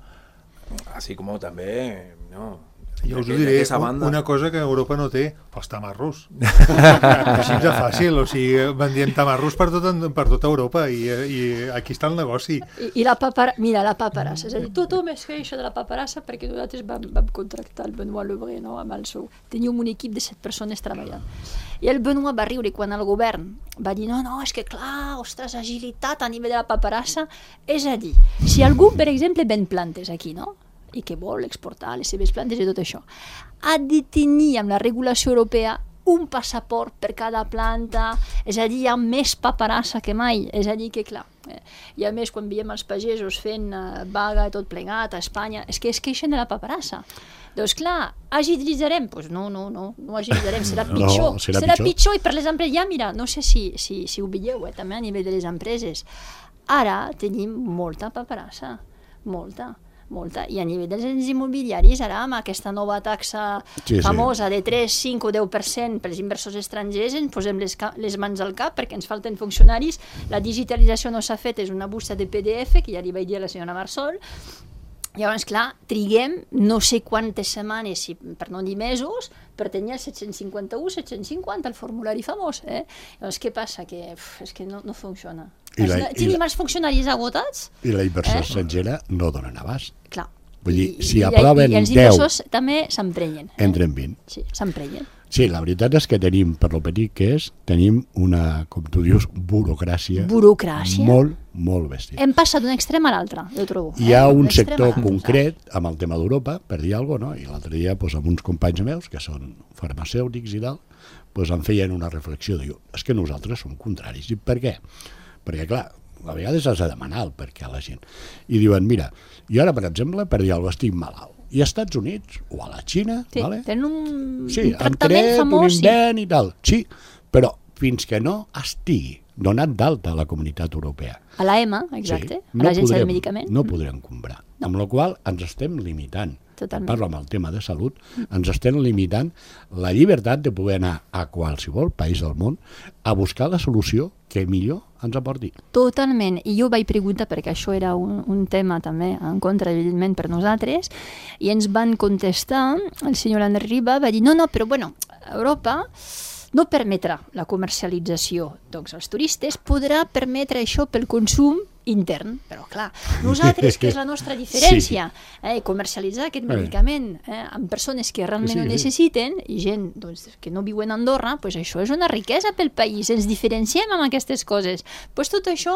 E: Así como també, no?
B: Jo us ho
E: d'aquest-
B: diré,
E: d'aquesta banda.
B: una cosa que Europa no té, els tamarros. Així de fàcil, o sigui, vendien tamarros per tot, per tota Europa i, i aquí està el negoci.
D: I, i la papara... Mira, la paperassa. És a dir, tothom es queixa de la paperassa perquè nosaltres vam, vam contractar el Benoit Lebré, no?, amb el seu... Teníem un equip de set persones treballant. I el Benoit va riure quan el govern va dir no, no, és que clar, ostres, agilitat a nivell de la paperassa. És a dir, si algú, per exemple, ven plantes aquí, no?, i que vol exportar les seves plantes i tot això, ha de tenir amb la regulació europea un passaport per cada planta, és a dir, hi ha més paperassa que mai, és a dir que clar, eh, i a més quan veiem els pagesos fent uh, vaga i tot plegat a Espanya, és que es queixen de la paperassa. Doncs clar, agilitzarem? Doncs pues no, no, no, no agilitzarem, serà pitjor,
C: No, serà
D: serà
C: pitjor.
D: pitjor i per les empreses, ja mira, no sé si, si, si ho veieu, eh, també a nivell de les empreses, ara tenim molta paperassa, molta, molta, i a nivell dels ens immobiliaris ara amb aquesta nova taxa
C: Sí, sí.
D: famosa de tres, cinc o deu per cent per als inversors estrangers ens posem les, ca- les mans al cap perquè ens falten funcionaris, la digitalització no s'ha fet, és una busta de P D F que ja li vaig dir a la senyora Marsol. Llavors, clar, triguem no sé quantes setmanes, si, per no dir mesos, per tenir el set-cents cinquanta-u, set-cents cinquanta, el formulari famós. Eh? Llavors, què passa? Que uf, és que no, no funciona.
C: I la-
D: Els-
C: i
D: Tenim
C: la-
D: els funcionaris agotats?
C: I la inversió
D: Eh?
C: estrangera no donen abast.
D: Clar.
C: Vull dir,
D: I-
C: si
D: i-
C: aproven
D: i els
C: deu,
D: inversors també s'emprenyen. Eh?
C: entren vint.
D: Sí, s'emprenyen.
C: Sí, la veritat és que tenim, per lo petit que és, tenim una, com tu dius, burocràcia,
D: burocràcia.
C: molt, molt bèstia.
D: Hem passat d'un extrem a l'altre, jo trobo.
C: Hi ha
D: eh?
C: un
D: D'un extrem
C: sector
D: a l'altre.
C: concret amb el tema d'Europa, per dir alguna cosa, no? I l'altre dia, doncs, amb uns companys meus, que són farmacèutics i tal, doncs em feien una reflexió, diu, és que nosaltres som contraris. I per què? Perquè, clar, a vegades has de demanar el per què a la gent. I diuen, mira, jo ara, per exemple, per dir alguna cosa, estic malalt. I als Estats Units o a la Xina,
D: Sí,
C: vale?
D: tenen un,
C: sí,
D: un tractament
C: tret,
D: famós.
C: un
D: Sí.
C: invent i tal, sí, però fins que no estigui donat d'alta a la Comunitat Europea,
D: A l'A E M A, exacte,
C: sí,
D: a l'Agència del
C: podrem-
D: Medicament.
C: no podrem comprar.
D: No.
C: Amb la qual ens estem limitant.
D: Totalment.
C: Parlo amb el tema de salut, ens estem limitant la llibertat de poder anar a qualsevol país del món a buscar la solució que millor ens aporti.
D: Totalment, i jo vaig preguntar perquè això era un, un tema també en contra, evidentment, per nosaltres, i ens van contestar, el senyor André Riba va dir, no, no, però bueno, Europa no permetrà la comercialització, doncs els turistes podrà permetre això pel consum intern, però clar, nosaltres, que és la nostra diferència, eh, comercialitzar aquest medicament eh, amb persones que realment
C: Sí,
D: ho
C: sí.
D: necessiten i gent doncs, que no viuen a Andorra, pues això és una riquesa pel país, ens diferenciem amb aquestes coses, pues tot això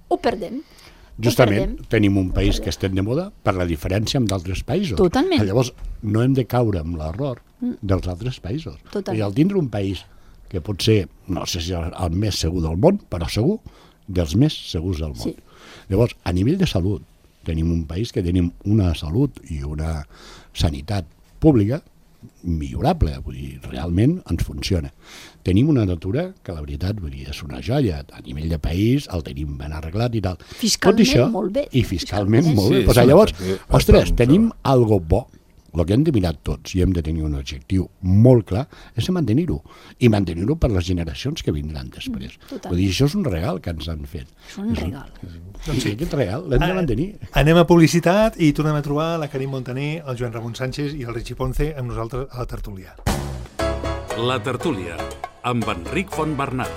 D: ho perdem. Ho
C: Justament,
D: perdem.
C: tenim un país que estem de moda per la diferència amb d'altres països.
D: Totalment.
C: Llavors, no hem de caure en l'error dels altres països.
D: Totalment.
C: I al tindre un país que pot ser, no sé si el, el més segur del món, però segur dels més segurs del món.
D: Sí.
C: Llavors, a nivell de salut, tenim un país que tenim una salut i una sanitat pública millorable, vull dir, realment ens funciona. Tenim una natura que la veritat vull dir, és una joia, a nivell de país el tenim ben arreglat i tal.
D: Fiscalment,
C: Tot això,
D: molt bé.
C: I fiscalment,
D: Fiscalment.
C: molt bé.
E: Sí,
C: Pues,
E: sí,
C: llavors,
E: perquè-
C: ostres,
E: perquè-
C: tenim algo bo. El que hem de mirar tots i hem de tenir un objectiu molt clar és de mantenir-ho. I mantenir-ho per les generacions que vindran després.
D: totalment.
C: Vull dir, això és un regal que ens han fet.
D: És un regal.
C: Doncs sí, aquest regal l'hem de mantenir.
B: Anem a publicitat i tornem a trobar la Karim Montaner, el Joan Ramon Sánchez i el Richie Ponce amb nosaltres a la tertúlia.
A: La tertúlia, amb Enric Fontbernat.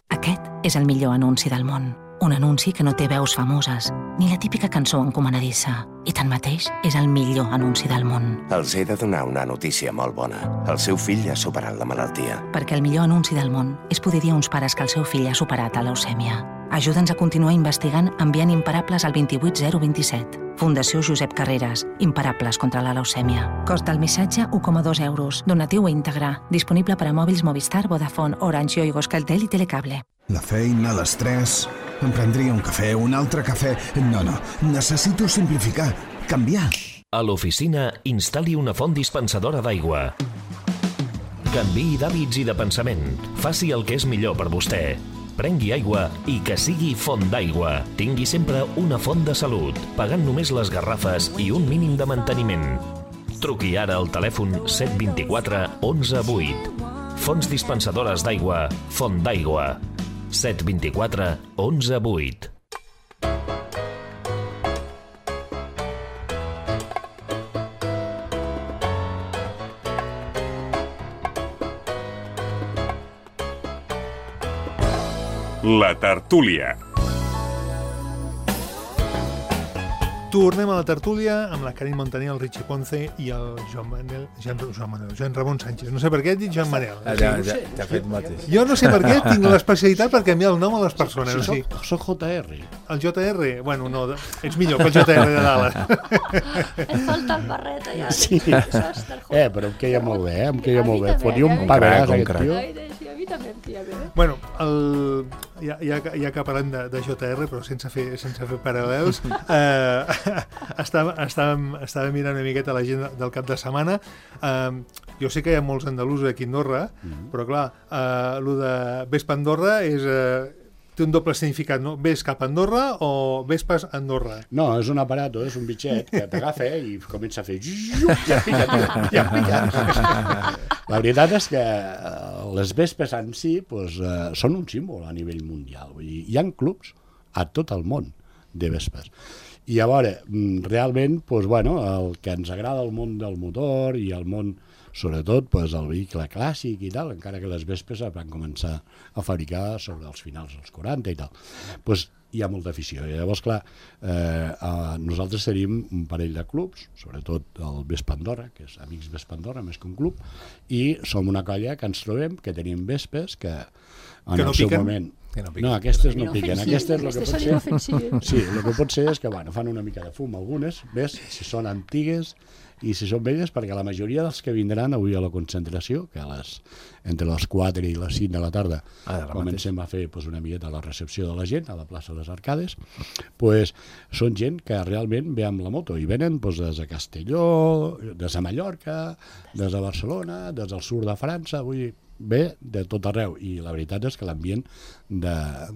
F: Aquest és el millor anunci del món. Un anunci que no té veus famoses, ni la típica cançó encomanadissa. I tanmateix és el millor anunci del món.
G: Els he de donar una notícia molt bona. El seu fill ha superat la malaltia.
F: Perquè el millor anunci del món és poder dir a uns pares que el seu fill ha superat la leucèmia. Ajuda'ns a continuar investigant enviant imparables al dos vuit zero dos set. Fundació Josep Carreras. Imparables contra la leucèmia. Cost del missatge un coma dos euros. Donatiu íntegre. Disponible per a mòbils Movistar, Vodafone, Orange, Yoigo, Euskaltel i Telecable.
H: La feina, l'estrès... Em prendria un cafè, un altre cafè... No, no, necessito simplificar, canviar.
I: A l'oficina, instal·li una font dispensadora d'aigua. Canviï d'hàbits i de pensament. Faci el que és millor per vostè. Prengui aigua i que sigui font d'aigua. Tingui sempre una font de salut, pagant només les garrafes i un mínim de manteniment. Truqui ara al telèfon set dos quatre onze vuit. Fonts dispensadores d'aigua, Font d'aigua. set dos quatre onze vuit.
A: La tertúlia.
B: Tornem a la tertúlia amb la Karim Montaner, el Richie Ponce i el Joan Manel, Joan, Joan Manel, Joan Ramon Sánchez. No sé per què he dit Joan Manel.
E: Ah, ja, ja, ja ha fet mateix.
B: Jo no sé per què tinc l'especialitat per canviar el nom a les persones.
C: Si
B: O sigui,
C: soc, soc J R.
B: el J R, bueno, no, ets millor que el J R de dalt.
D: Et falta el barret allà.
C: Sí.
D: Saps, del
C: Eh, però em queia molt bé, eh? Em queia
D: A mi
C: molt bé.
D: també,
C: Fotia
D: a
C: un
D: mi
C: pagaràs,
E: també.
C: aquest tio.
D: Ai, sí, a mi també em tira bé.
B: Bueno, el, ja, ja, ja que parlem de, de J R, però sense fer, sense fer paral·lels, eh, estàvem, estàvem, estàvem mirant una miqueta l'agenda del cap de setmana. Eh, jo sé que hi ha molts andalusos aquí a Andorra, mm-hmm. però clar, eh, el de Vespa Andorra és, eh, té un doble significat, no? Ves cap a Andorra o Vespes a Andorra?
C: No, és un aparato, és un bitxet que t'agafa i comença a fer... Ja pica, ja pica. La veritat és que les vespes en si pues, eh, són un símbol a nivell mundial. Vull dir, hi ha clubs a tot el món de vespes. I a veure, realment, pues, bueno, el que ens agrada el món del motor i el món sobretot pues, el vehicle clàssic i tal, encara que les Vespes es van començar a fabricar sobre els finals dels quaranta i tal. Pues, hi ha molta afició. I llavors, clar, eh, eh, nosaltres tenim un parell de clubs, sobretot el Vespa Andorra, que és Amics Vespa Andorra, més que un club, i som una colla que ens trobem, que tenim Vespes, que en
B: que no
C: el seu
B: piquen?
C: moment...
E: Que no piquen.
C: No, aquestes no
D: No
C: piquen.
D: ofensives,
C: Aquestes el que
D: aquestes
C: pot
D: són
C: ser...
D: inofensives.
C: Sí, el que pot ser és que bueno, fan una mica de fum algunes, ves, si són antigues i si són velles, perquè la majoria dels que vindran avui a la concentració, que a les, entre les quatre i les cinc de la tarda
E: Ah, de la
C: comencem a fer pues, una miqueta la recepció de la gent a la plaça de les Arcades, pues, són gent que realment ve amb la moto i venen pues, des de Castelló, des de Mallorca, des de Barcelona, des del sud de França, vull dir, ve de tot arreu, i la veritat és que l'ambient de,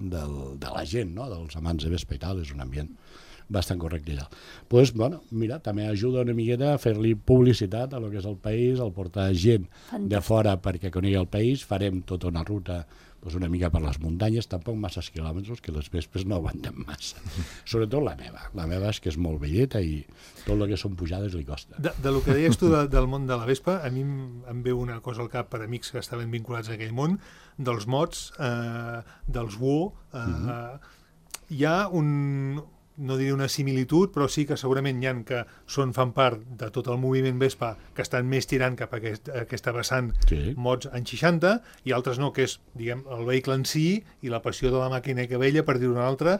C: de, de la gent, no? Dels amants de Vespa i tal, és un ambient bastant correcte allà. Pues, bueno, mira, també ajuda una miqueta a fer-li publicitat a lo que és el país, al portar gent de fora perquè conegui el país, farem tota una ruta pues, una mica per les muntanyes, tampoc massa quilòmetres, que les Vespes no aguanten massa. Sobretot la meva. La meva és que és molt velleta i tot el que són pujades li costa.
B: De, de lo que deies tu de, del món de la Vespa, a mi em, em ve una cosa al cap per amics que estaven vinculats a aquell món, dels mods, eh, dels W O. Eh, mm-hmm. Hi ha un... no diria una similitud, però sí que segurament hi ha que són, fan part de tot el moviment Vespa que estan més tirant cap a aquest, a aquesta vessant
C: Sí.
B: mods anys seixanta i altres no, que és diguem, el vehicle en si i la passió de la màquina que vella, per dir-ho una altra.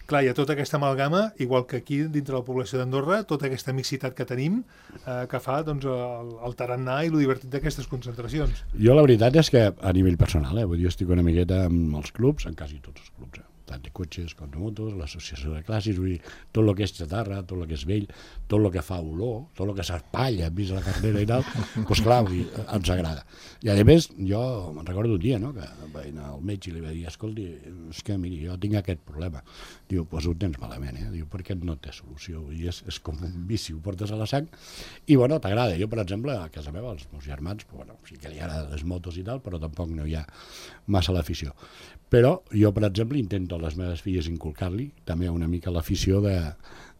B: Clar, hi ha tota aquesta amalgama, igual que aquí dintre la població d'Andorra, tota aquesta mixitat que tenim eh, que fa doncs, el, el tarannà i el divertit d'aquestes concentracions.
C: Jo la veritat és que a nivell personal, eh, vull dir, jo estic una miqueta amb els clubs, en quasi tots els clubs, eh, tant de cotxes com de motos, l'associació de classes, vull dir, tot el que és xatarra, tot el que és vell, tot el que fa olor, tot el que s'espalla enmig de la carrera i tal, doncs clar, vull dir, ens agrada. I a més, jo me'n recordo un dia, no?, que vaig anar al metge i li vaig dir, escolti, és que miri, jo tinc aquest problema. Diu, doncs ho tens malament, eh? Diu, perquè no té solució, i és, és com un vici, ho portes a la sang, i bueno, t'agrada. Jo, per exemple, a casa meva, els meus germans, bueno, sí que li agraden les motos i tal, però tampoc no hi ha massa l'afició. Però jo, per exemple, intento a les meves filles inculcar-li també una mica l'afició de,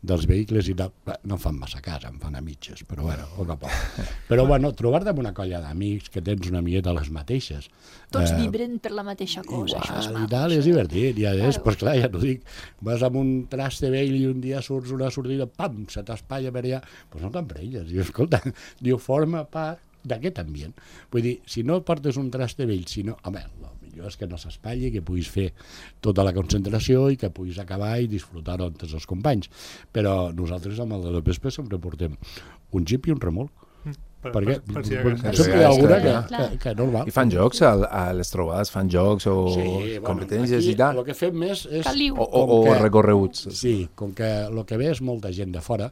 C: dels vehicles i tal. No em fan massa cas, em fan a mitges, però bueno, poc a poc. Però bueno, trobar-te amb una colla d'amics que tens una miqueta les mateixes.
D: Tots
C: eh,
D: vibren per la mateixa cosa,
C: igual,
D: això és
C: i
D: maco.
C: tal, és divertit. I a més,
D: Claro.
C: pues clar, ja t'ho dic, vas amb un traste vell i un dia surts una sortida, pam, se t'espatlla per allà, doncs no t'emprenyes. Diu, escolta, diu, forma part d'aquest ambient. Vull dir, si no portes un traste vell, si no, home, el millor és que no s'espatlli, que puguis fer tota la concentració i que puguis acabar i disfrutar-ho amb tots els companys. Però nosaltres amb el de la Vespa sempre portem un jeep i un remolc.
B: Per,
C: Perquè
B: per, per si
C: per,
B: acaso.
C: sempre hi ha alguna que,
D: Clar.
C: que, que normal.
E: I fan jocs a, a les trobades, fan jocs o competències i tal,
C: El que fem més és...
D: Caliu.
E: o, o,
C: com
E: o
C: que-
E: recorreguts.
C: Sí, com que el que ve és molta gent de fora,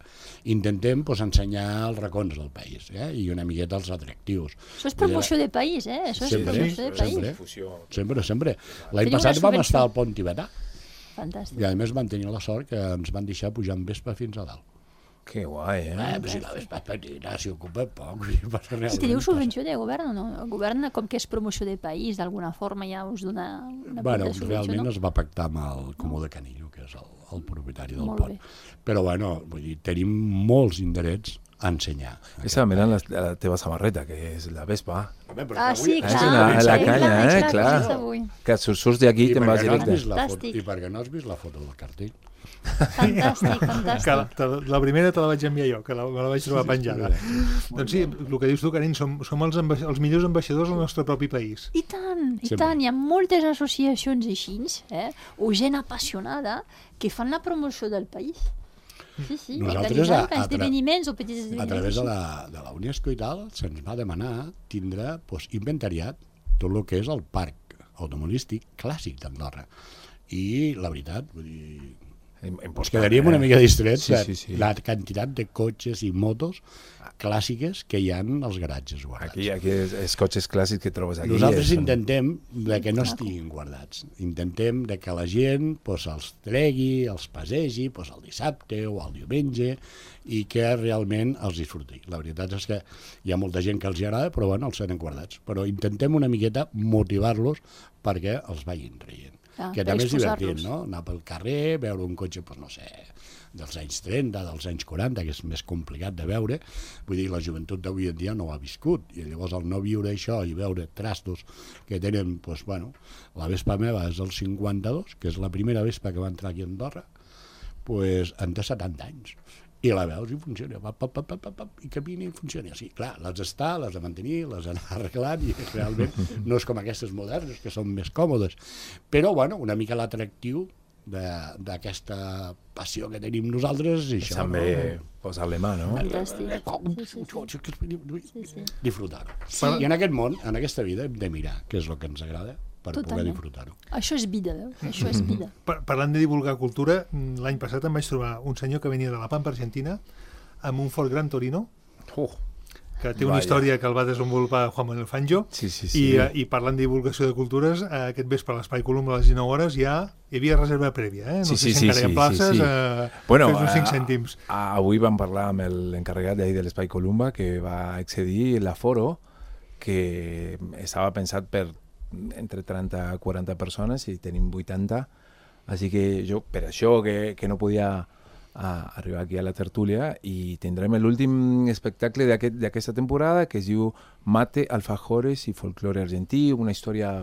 C: intentem pues, ensenyar els racons del país, eh? I una miqueta els atractius.
D: Això és promoció de país, eh? Això és
C: Sempre,
D: promoció de país.
C: sempre, sempre, sempre. L'any
D: Teniu
C: passat
D: una
C: vam
D: subvenció.
C: estar al pont tibetà
D: Fantàstic.
C: i a més vam tenir la sort que ens van deixar pujar amb Vespa fins a dalt.
E: Que guai, eh?
C: Eh, però si la Vespa és petita, si ocupa poc, si passa realment.
D: I teniu
C: passa.
D: subvenció de govern o no? El govern, com que és promoció de país, d'alguna forma ja us dona una
C: Bueno,
D: petita subvenció,
C: realment
D: no?
C: es va pactar amb el Comú de Canillo, que és el, el propietari del
D: Molt
C: pont.
D: bé.
C: Però bueno, vull dir, tenim molts indrets a ensenyar.
E: Esa mira la, la teva samarreta, que és la Vespa.
C: Home, però
D: Ah,
C: avui-
D: sí,
E: Ah,
D: clar.
E: és una- la
D: sí,
E: canya,
D: clar,
E: eh?
D: clar,
E: Clar.
D: això és avui.
E: Que surts d'aquí i
C: I
E: te'n
C: per
E: vas
C: què no has
E: directe.
C: vist la foto,
D: Fantàstic.
C: I perquè no has vist la foto del cartell?
D: Fantàstic,
B: Que la,
D: fantàstic.
B: te, la primera te la vaig enviar jo, que la, me la vaig trobar penjada. Doncs sí, el que dius tu, Carin, som, som els, amba els millors ambaixadors del nostre propi país.
D: I tant, i
C: Sempre.
D: tant, hi ha moltes associacions així, eh? o gent apassionada que fan la promoció del país. Sí, sí,
C: Nosaltres,
D: organitzant
C: a- a tra-
D: esdeveniments o petits esdeveniments.
C: A través de
D: així.
C: la, de la UNESCO i tal, se'ns va demanar tindre pues, inventariat tot el que és el parc automobilístic clàssic d'Andorra. I la veritat, vull dir, ens quedaríem una mica distrets
E: Sí,
C: de
E: sí, sí.
C: la quantitat de cotxes i motos clàssiques que hi ha als garatges guardats.
E: Aquí, aquí els, els cotxes clàssics que trobes aquí.
C: Nosaltres
E: són-
C: intentem de que no estiguin guardats. Intentem de que la gent pues, els tregui, els passegi pues, el dissabte o el diumenge i que realment els disfruti. La veritat és que hi ha molta gent que els hi agrada, però bueno, els tenen guardats. Però intentem una miqueta motivar-los perquè els vagin traient.
D: Ah,
C: que
D: per
C: també és
D: exposar-los.
C: divertit, no? Anar pel carrer, veure un cotxe, doncs no sé, dels anys trenta, dels anys quaranta, que és més complicat de veure. Vull dir, la joventut d'avui en dia no ho ha viscut, i llavors al no viure això i veure trastos que tenen, doncs, bueno, la Vespa meva és del cinquanta-dos, que és la primera Vespa que va entrar aquí a Andorra, doncs en té setanta anys. I la veus i funciona, pap, pap, pap, pap, pap, i camina i funciona. Sí, clar, les està, les de mantenir, les anar arreglant, i realment no és com aquestes modernes, que són més còmodes. Però, bueno, una mica l'atractiu d'aquesta passió que tenim nosaltres i això,
E: també
C: no?
E: posar-le mà, no?
D: Fantàstic. Sí, sí, sí.
C: Disfrutar-ho. Sí. I en aquest món, en aquesta vida, hem de mirar què és el que ens agrada per
D: Totalment.
C: poder disfrutar-ho.
D: Això és vida, veus? Això és vida.
B: Par- Parlant de divulgar cultura, l'any passat em vaig trobar un senyor que venia de la Pampa Argentina amb un Ford Gran Torino,
E: Uh,
B: que té una
E: Vaja.
B: història que el va desenvolupar Juan Manuel Fangio,
E: sí, sí, sí.
B: i, eh, i parlant de divulgació de cultures, eh, aquest vespre a l'Espai Colum a les dinou hores ja hi havia reserva prèvia, eh? No
E: Sí,
B: sé
E: sí,
B: si
E: sí,
B: encara hi ha
E: sí,
B: places,
E: sí, sí.
B: eh,
E: Bueno,
B: fes uns cinc
E: a-
B: cèntims.
E: a- avui vam parlar amb l'encarregat d'ahir de l'Espai Columba, que va excedir l'aforo, que estava pensat per entre trenta a quaranta persones i tenim vuitanta, així que jo per això que, que no podia a arribar aquí a la tertúlia, i tindrem l'últim espectacle d'aquest- d'aquesta temporada, que es diu Mate, Alfajores i Folklore Argentí, una història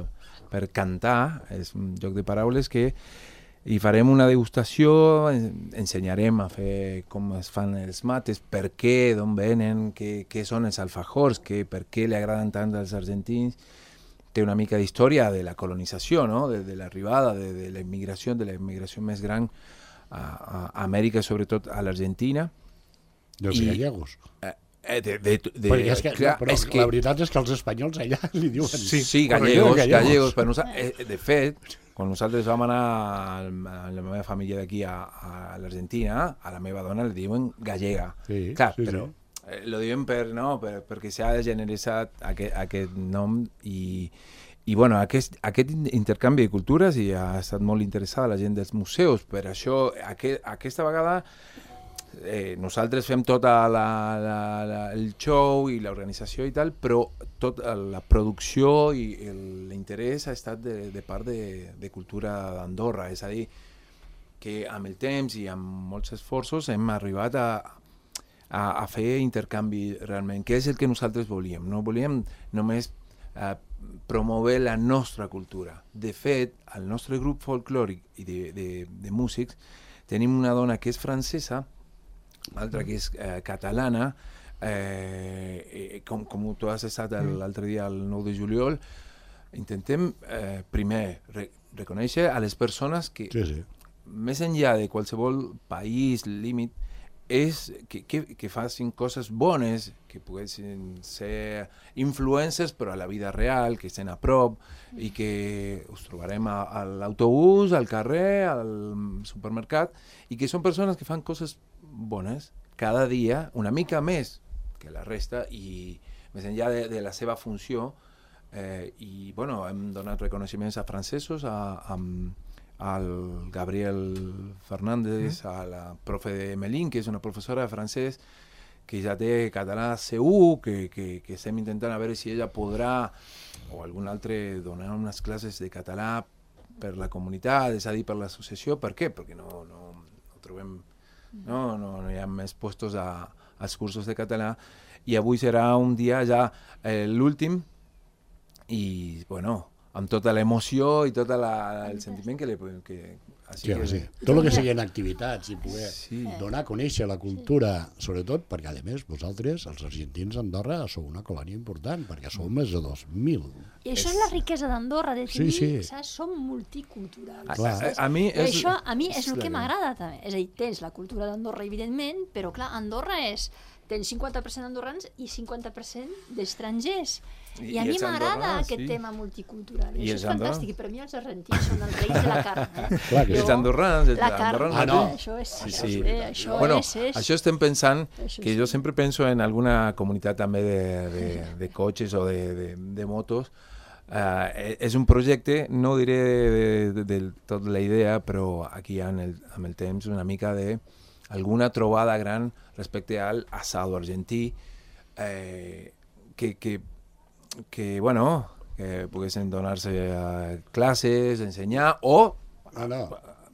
E: per cantar, és un joc de paraules que hi farem una degustació, en- ensenyarem a fer com es fan els mates, per què, d'on venen, què, què són els alfajors, què, per què li agraden tant als argentins. Té una mica d'història de la colonització, no? de, de l'arribada, de, de la immigració, de la immigració més gran a, a Amèrica, sobretot a l'Argentina.
C: Dels
E: I-
C: gallegos.
E: Eh, de, de, de,
C: Perquè és que,
E: clar,
C: no, però
E: és
C: la veritat és que els espanyols allà li diuen...
B: Sí,
E: Sí,
B: correcte.
E: gallegos,
C: Gallegos.
E: gallegos. Per nosa- eh, de fet, quan nosaltres vam anar a la meva família d'aquí a, a l'Argentina, a la meva dona li diuen gallega.
C: Sí,
E: Clar,
C: sí,
E: però eh, lo diuen per, no, per, perquè s'ha generalitzat aquest, aquest nom i, i bueno, aquest, aquest intercanvi de cultures, i ha estat molt interessada la gent dels museus. Per això, aquest, aquesta vegada eh, nosaltres fem tota la, la, la, el show i l'organització i tal, però tota la producció i el- l'interès ha estat de, de part de, de cultura d'Andorra, és a dir, que amb el temps i amb molts esforços hem arribat a, a, a fer intercanvi realment, que és el que nosaltres volíem. No volíem només eh, promoure la nostra cultura. De fet, al nostre grup folclòric i de, de, de músics tenim una dona que és francesa, altra que és eh, catalana, eh, eh, com, com tu has estat el- l'altre dia, el nou de juliol. Intentem eh, primer re, reconèixer a les persones que,
C: Sí, sí.
E: més enllà de qualsevol país, límit, és que, que, que facin coses bones, que poguessin ser influencers, però a la vida real, que estan a prop, i que us trobarem a, a l'autobús, al carrer, al supermercat, i que són persones que fan coses bones cada dia, una mica més que la resta, i més enllà de, de la seva funció. Eh, I bueno, hem donat reconeixements a francesos, a, a, al Gabriel Fernández, a la profe de Melín, que és una professora de francès que ja té català C u, que, que, que estem intentant a veure si ella podrà, o algun altre, donar unes classes de català per la comunitat, és a dir, per l'associació. Per què? Perquè no, no, no trobem, no, no, no hi ha més puestos a, als cursos de català, i avui serà un dia ja eh, l'últim, i bueno, amb tota l'emoció i tot la, el sentiment que li... Que,
C: Sí,
E: que,
C: sí. Tot el que siguin activitats i poder
E: Sí.
C: donar a conèixer la cultura, sobretot perquè, a més, vosaltres, els argentins d'Andorra, sou una colònia important, perquè sou més de dos mil.
D: I això és la riquesa d'Andorra, de
C: Sí,
D: tenir,
C: sí.
D: saps? Som multiculturals.
E: A,
C: Clar.
E: a, a mi
D: I
E: és...
D: això a mi és
E: és
D: el que
E: la-
D: m'agrada també. És a dir, tens la cultura d'Andorra, evidentment, però clar, Andorra és... Tens cinquanta per cent d'andorrans i cinquanta per cent d'estrangers. I,
E: I
D: a mi
E: els
D: m'agrada
E: andorrans,
D: aquest
E: sí.
D: tema multicultural. I,
E: I
D: això
E: els
D: és fantàstic.
E: andorrans?
D: I per mi els argentins són els reis de la carn. Eh?
C: Clar que sí.
E: Els andorrans, els
D: La carn,
E: andorrans
C: Ah, no.
D: això és...
E: Sí,
D: això,
E: sí.
D: Eh, això
E: Bueno,
D: és, és...
E: això estem pensant,
D: Això
E: que
D: sí.
E: jo sempre penso en alguna comunitat també de, de, de cotxes o de, de, de motos. Uh, és un projecte, no diré de, de, de tot la idea, però aquí en el, amb el temps una mica de alguna trobada gran respecte al asado argentí, eh, que, que, que, bueno, que poguessin donar-se uh, classes, ensenyar, o
C: No, no.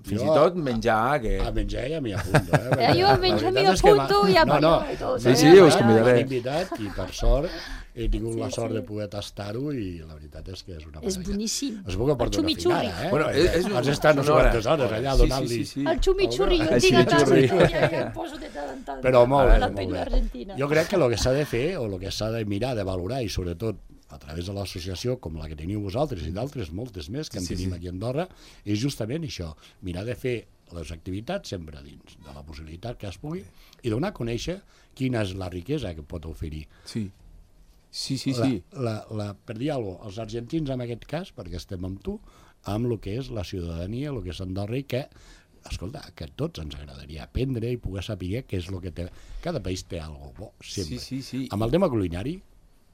E: fins
C: Jo,
E: i tot menjar, que...
C: A menjar ja m'hi apunto, eh?
D: Eh, jo a menjar m'hi
C: La veritat és que
D: apunto
C: m'ha-
D: i a
C: no, no.
D: ballar i tot.
E: Sí,
D: eh,
E: sí,
D: a
E: us
D: ballar.
E: convidaré.
C: M'han invitat i per sort he tingut
D: Sí,
C: la sort
D: sí.
C: de poder tastar-ho i la veritat és que és una
D: És
C: meravella.
D: boníssim.
C: Es puc aportar
D: El
C: una
D: xumichurri.
C: finada, eh?
E: Bueno, és, és
C: Has estat no sé quantes hores allà
E: Sí,
C: donant-li...
E: Sí, sí, sí.
D: El xumichurri, jo
E: El
D: el tinc a casa
E: chimichurri.
D: i ja em poso de tant en tant.
C: Però molt bé,
D: La
C: molt
D: penya
C: bé.
D: argentina.
C: Jo crec que el que s'ha de fer, o el que s'ha de mirar, de valorar, i sobretot a través de l'associació com la que teniu vosaltres i d'altres moltes més que en
E: Sí, sí,
C: tenim
E: sí.
C: aquí a Andorra, és justament això, mirar de fer les activitats sempre dins de la possibilitat que es pugui i donar a conèixer quina és la riquesa que pot oferir.
E: Sí, sí, sí.
C: La,
E: sí.
C: la, la, per dir alguna cosa, els argentins en aquest cas, perquè estem amb tu, amb el que és la ciutadania, el que és Andorra, i que, escolta, que a tots ens agradaria aprendre i poder saber què és el que té. Cada país té alguna cosa bo, sempre.
E: Sí, sí, sí.
C: Amb el tema culinari,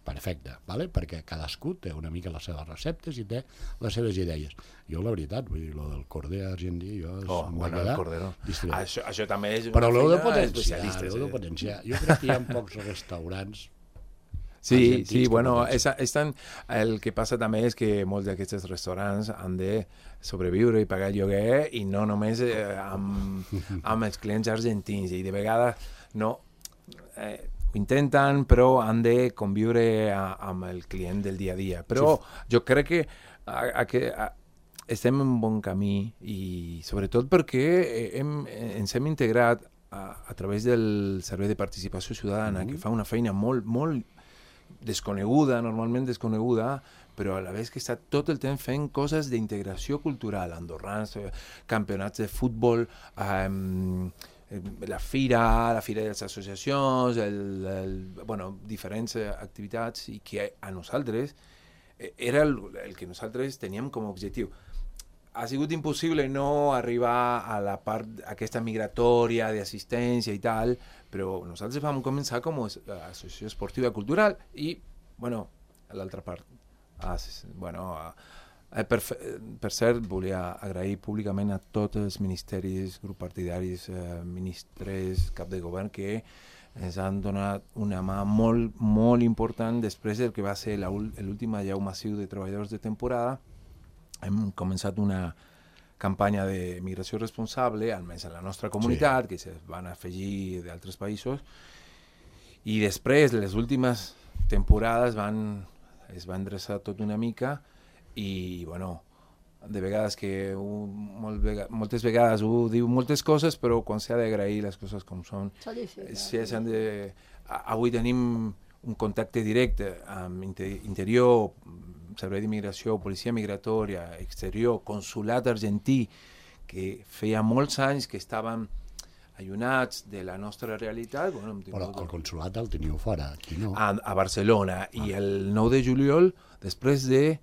C: perfecte, vale? Perquè cadascú té una mica les seves receptes i té les seves idees. Jo, la veritat, vull dir, lo del corder argentí, jo
E: Oh,
C: em va
E: bueno, el
C: quedar
E: cordero.
C: distret.
E: Això, això també és una
C: Però l'heu de
E: feina
C: potenciar,
E: especialista.
C: l'heu de
E: sí.
C: potenciar. Jo crec que hi ha pocs restaurants
E: Sí,
C: argentins
E: sí,
C: que
E: bueno,
C: potencien.
E: és, és tan, el que passa també és que molts d'aquests restaurants han de sobreviure i pagar lloguer i no només eh, amb, amb els clients argentins i de vegades no eh, ho intenten però han de conviure a, amb el client del dia a dia però sí. Jo crec que, a, a, que a, estem en bon camí i sobretot perquè hem, ens hem integrat a, a través del Servei de Participació Ciutadana mm-hmm. que fa una feina molt, molt desconeguda, normalment desconeguda, però a la vegada que està tot el temps fent coses d'integració cultural, andorrans, eh, campionats de futbol, eh, la fira, la fira de les associacions, el, el, bueno, diferents eh, activitats, i que a nosaltres eh, era el, el que nosaltres teníem com a objectiu. Ha sigut impossible no arribar a la part aquesta migratòria d'assistència i tal, però nosaltres vam començar com a associació esportiva cultural i, bueno, l'altra part. Ah, bueno, eh, per, per cert, volia agrair públicament a tots els ministeris, grups partidaris, eh, ministres, cap de govern, que ens han donat una mà molt, molt important després del que va ser l'últim allau massiu de treballadors de temporada. Hem començat una campanya de migració responsable, almenys en la nostra comunitat, sí. Que se van afegir d'altres països, i després, les últimes temporades, van, es va endreçar tot una mica, i, bueno, de vegades que un, molt vega, moltes vegades ho diu moltes coses, però quan s'ha d'agrair les coses com són, si s'han de... Avui tenim un contacte directe amb interior, Servei d'Immigració, Policia Migratòria, Exterior, Consulat Argentí, que feia molts anys que estaven allunats de la nostra realitat. Bueno,
C: Però el consulat el teniu fora, aquí no.
E: A, a Barcelona. Ah. I el nou de juliol, després de,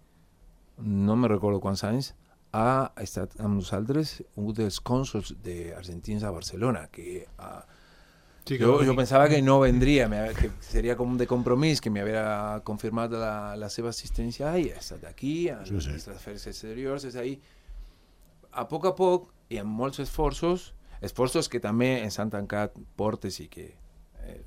E: no me recordo quants anys, ha estat amb nosaltres un dels cònsols d'argentins a Barcelona, que... Uh, Sí, jo, jo pensava que no vendria, que seria com de compromís, que m'havia confirmat la, la seva assistència i ha estat aquí, a sí, sí. les afers exteriors, és ahí. A poc a poc, i amb molts esforços, esforços que també ens han tancat portes i que eh,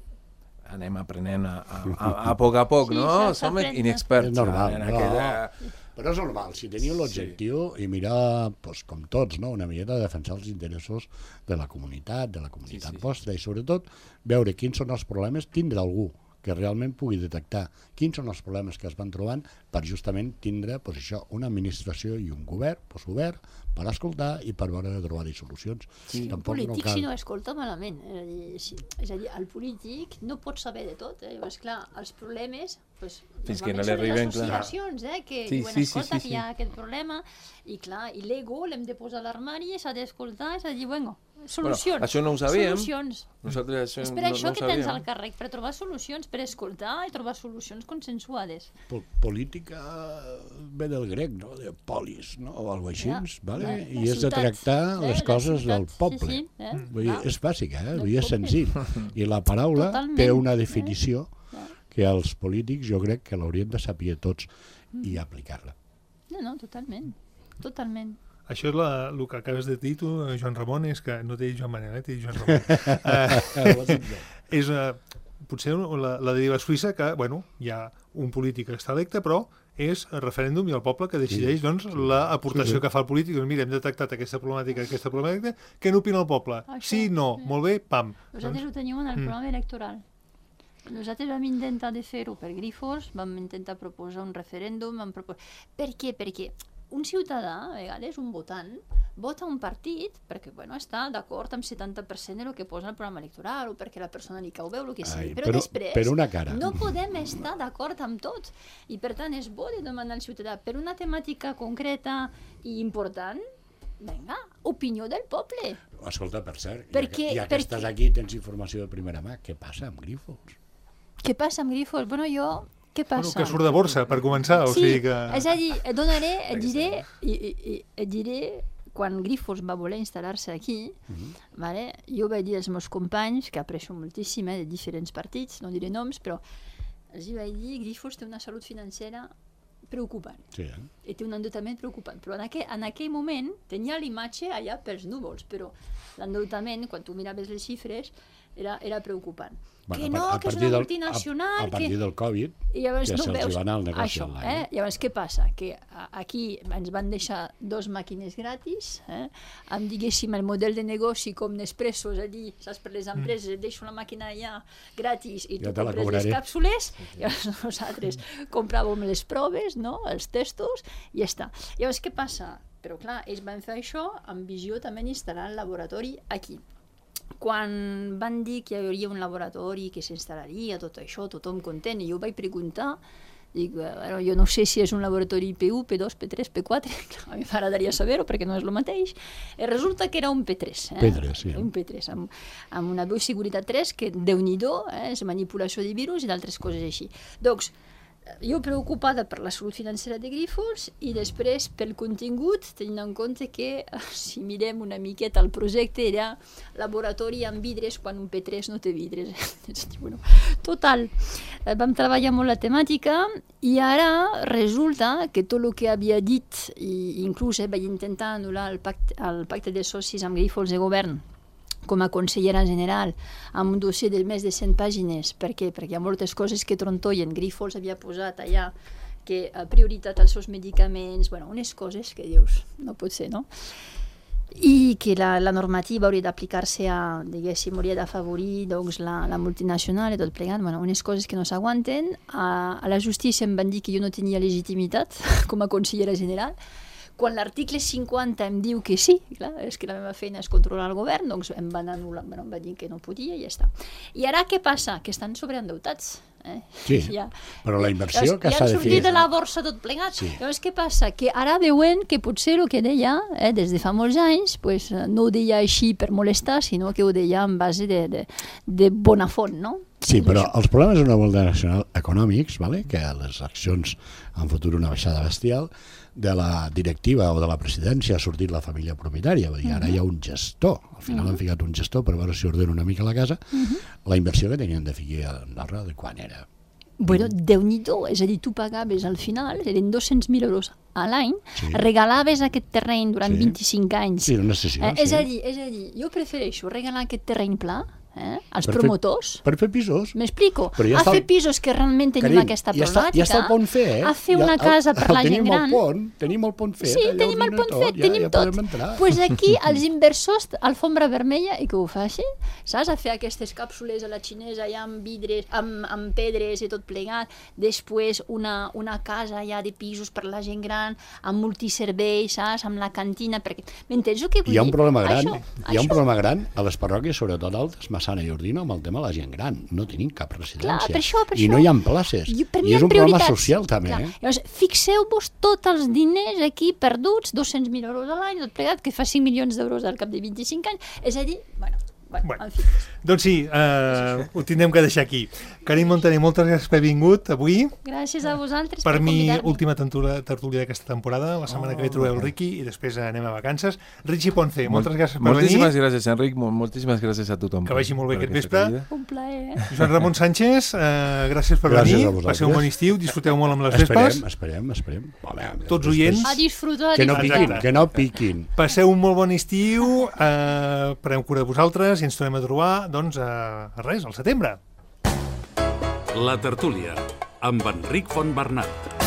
E: anem aprenent a, a, a, a poc a poc, sí, no? Som inexperts.
C: És normal,
E: en
C: no.
E: aquella...
C: Però és normal, si teniu l'objectiu sí. i mirar, pues, com tots, no? Una miqueta de defensar els interessos de la comunitat, de la comunitat sí, sí. vostra, i sobretot veure quins són els problemes, tindre algú que realment pugui detectar quins són els problemes que es van trobant per justament tindre pues, això, una administració i un govern pues, obert per escoltar i per veure de trobar-hi solucions.
D: Sí, el polític no cal... si no escolta malament, és a, dir, si, és a dir, el polític no pot saber de tot, eh? Llavors, clar, els problemes pues,
E: fins que no li arriben,
D: les associacions eh? que
E: sí,
D: diuen,
E: sí,
D: escolta,
E: sí, sí,
D: que hi ha aquest problema, i clar, i l'ego l'hem de posar a l'armari, s'ha d'escoltar, és a dir, bueno, solucions.
E: Bueno, això no ho sabíem.
D: Solucions.
E: Nosaltres això
D: és per
E: no,
D: això
E: no
D: que tens el càrrec, per trobar solucions, per escoltar i trobar solucions consensuades.
C: Po política ve del grec, no? De polis, no? O alguna cosa així, ja, vale? Ja, I és de tractar eh, les coses del poble. Sí, sí, eh? Vull dir, és bàsic, eh? Vull dir, és senzill. I la paraula Totalment. Té una definició eh? que els polítics jo crec que l'haurien de saber tots mm. i aplicar-la.
D: No, no, totalment. Totalment.
B: Això és la, el que acabes de dir tu, Joan Ramon, és que no té Joan Manel, eh? Té Joan Ramon. uh, és uh, potser la, la deriva suïssa que, bueno, hi ha un polític que està electe, però és el referèndum i el poble que decideix
C: Sí,
B: doncs,
C: sí.
B: l'aportació
C: Sí, sí.
B: que fa el polític. Doncs, mira, hem detectat aquesta problemàtica, aquesta problemàtica, què n'opina el poble?
D: Això,
B: Sí, no,
D: sí.
B: molt bé, pam.
D: Nosaltres ho tenim en el
B: Mm.
D: programa electoral. Nosaltres vam intentar de fer-ho per Grifols, vam intentar proposar un referèndum, vam propos... Per què? Perquè un ciutadà, a vegades un votant, vota un partit perquè bueno, està d'acord amb setanta per cent del que posa el programa electoral o perquè la persona li cau bé o el que sigui.
C: Ai,
D: Però,
C: però-
D: després
C: per una cara.
D: no podem estar d'acord amb tot. I per tant és bo de demanar al ciutadà per una temàtica concreta i important, vinga, opinió del poble.
C: Escolta, per cert,
D: Per
C: ja,
D: què-
C: que, ja
D: per
C: que estàs
D: què?
C: aquí tens informació de primera mà. Què passa amb Grifols?
D: Què passa amb Grifols? Bueno, jo... Què passa?
B: Bueno, que surt de borsa, per començar. O
D: Sí,
B: sigui que...
D: és a dir, et donaré, et diré, i, i, i, et diré quan Grifols va voler instal·lar-se aquí,
C: Mhm.
D: vale? Jo vaig dir als meus companys, que aprecio moltíssim, eh, de diferents partits, no diré noms, però els hi vaig dir Grifols té una salut financera preocupant.
C: Sí, eh?
D: I té un endeutament preocupant. Però en aquell, en aquell moment tenia l'imatge allà pels núvols, però l'endeutament, quan tu miraves les xifres, era, era preocupant.
C: Bueno,
D: que
C: a
D: no,
C: par- a
D: que és
C: partir
D: una
C: del-
D: multinacional...
C: A, a partir
D: que...
C: del Covid,
D: I llavors
C: ja
D: no
C: se'ls
D: veus
C: hi va anar el negoci
D: això,
C: al
D: eh? Llavors què passa? Que a- aquí ens van deixar dos màquines gratis, eh? amb, diguéssim, el model de negoci com Nespresso, és a dir, saps, per les empreses, et deixo la màquina allà gratis i
C: Ja
D: tu
C: te la
D: compres les
C: cobraré.
D: càpsules, i llavors nosaltres compràvem les proves, no? Els testos, i ja està. Llavors què passa? Però clar, ells van fer això amb visió també d'instal·lar el laboratori aquí. Quan van dir que hi hauria un laboratori que s'instal·laria, tot això, tothom content, i jo vaig preguntar, dic, bueno, jo no sé si és un laboratori P u, P dos, P tres, P quatre, a mi m'agradaria saber-ho perquè no és el mateix, i resulta que era un P tres. Eh?
C: P tres, sí.
D: Un P tres, amb, amb una bioseguretat tres que, Déu-n'hi-do, eh? és manipulació de virus i d'altres coses així. Doncs, jo preocupada per la salut financera de Grifols i després pel contingut, tenint en compte que si mirem una miqueta el projecte era laboratori amb vidres quan un P tres no té vidres. Bueno, total, vam treballar molt la temàtica i ara resulta que tot el que havia dit, i inclús eh, vaig intentar anul·lar el pacte, el pacte de socis amb Grifols de govern, com a consellera general, amb un dossier de més de cent pàgines. Per què? Perquè hi ha moltes coses que trontollen. Grifols havia posat allà que a prioritat als seus medicaments, bueno, unes coses que dius, no pot ser, no? I que la, la normativa hauria d'aplicar-se a, diguéssim, hauria d'afavorir doncs, la, la multinacional i tot plegat, bueno, unes coses que no s'aguanten. A, a la justícia em van dir que jo no tenia legitimitat com a consellera general. Quan l'article cinquanta em diu que sí, clar, és que la meva feina és controlar el govern, doncs em van anul·lar, bueno, em van dir que no podia i ja està. I ara què passa? Que estan sobreendeutats. Eh?
C: Sí,
D: ja.
C: però la inversió
D: Llavors,
C: que
D: ja
C: s'ha
D: han
C: de
D: sortit
C: fer...
D: de la borsa tot plegat.
C: Sí.
D: Llavors què passa? Que ara veuen que potser el que deia eh, des de fa molts anys pues, no ho deia així per molestar, sinó que ho deia en base de, de, de bona font, no?
C: Sí, però els problemes d'una multinacional econòmics, vale? Que les accions han fotut una baixada bestial, de la directiva o de la presidència ha sortit la família propietària, vull dir, ara hi ha un gestor, al final han ficat un gestor per veure si ordena una mica la casa, la inversió que tenien de ficar a Andorra, de quan era?
D: Bueno, Déu-n'hi-do, és a dir, tu pagaves al final, eren dos-cents mil euros a l'any,
C: Sí.
D: regalaves aquest terreny durant
C: Sí.
D: vint-i-cinc anys.
C: Sí, una sessió,
D: Eh, és,
C: sí.
D: a dir, és a dir, jo prefereixo regalar aquest terreny pla eh, als
C: Per fer-
D: promotors.
C: Per fer pisos.
D: M'explico?
C: Però ja
D: A
C: està
D: fer
C: el-
D: pisos que realment tenim
C: Carim,
D: aquesta
C: ja està,
D: problemàtica.
C: ja està el pont fet, eh?
D: A fer
C: Ja
D: una
C: el-
D: casa per
C: el
D: la gent
C: tenim
D: gran.
C: El pont, tenim el pont fet.
D: Sí,
C: allà
D: tenim el
C: ordina
D: pont
C: tot,
D: fet,
C: ja,
D: tenim
C: ja
D: tot.
C: podem entrar.
D: Pues aquí els inversors, alfombra vermella, i que ho facin, saps? A fer aquestes càpsules a la xinesa, allà amb vidres, amb, amb pedres i tot plegat. Després una, una casa allà de pisos per la gent gran, amb multiserveis, saps? Amb la cantina, perquè... M'entens el que vull
C: Hi ha un
D: dir?
C: problema gran,
D: Això,
C: hi ha un
D: això.
C: problema gran a les parròquies, sobretot altes, Massana i Ordino, amb el tema de la gent gran. No tenim cap residència.
D: Clar, per això, per
C: I
D: això.
C: no hi ha places.
D: Jo, per mi
C: I
D: hi
C: és
D: ha
C: un problema
D: prioritats.
C: social, també.
D: Clar.
C: Eh?
D: Llavors, fixeu-vos tots els diners aquí perduts, dos-cents mil euros a l'any, tot plegat, que fa cinc milions d'euros al cap de vint-i-cinc anys. És a dir, bueno, bueno,
B: Bueno.
D: en fi.
B: Doncs sí, eh, ho tindrem que deixar aquí. Carim Montaner, moltes gràcies per haver vingut avui.
D: Gràcies a vosaltres per,
B: Per mi,
D: convidar-me.
B: última tertúlia, tertúlia d'aquesta temporada. La setmana
C: Oh,
B: que ve trobeu el
C: molt bé.
B: Riqui i després anem a vacances. Richie Ponce, moltes gràcies per
E: Moltíssimes
B: venir.
E: gràcies, Enric. Mol- Moltíssimes gràcies a tothom.
B: Que vagi molt bé
E: per
B: aquest
E: aquesta
B: vespre.
E: acollida.
D: Un plaer.
B: Joan Ramon Sánchez, eh, gràcies per
C: Gràcies
B: venir.
C: a vosaltres.
B: Passeu un bon estiu, disfruteu molt amb les
C: Esperem,
B: vespes.
C: esperem, esperem. Home,
B: Tots
C: després-
B: oients.
D: A disfrutar, a
C: Que no
D: disfrutar.
C: piquin, que no piquin.
B: Passeu un molt bon estiu, eh, preneu cura de vosaltres i ens tornem a trobar, doncs, a, a res, al setembre.
A: La tertúlia, amb Enric Fontbernat.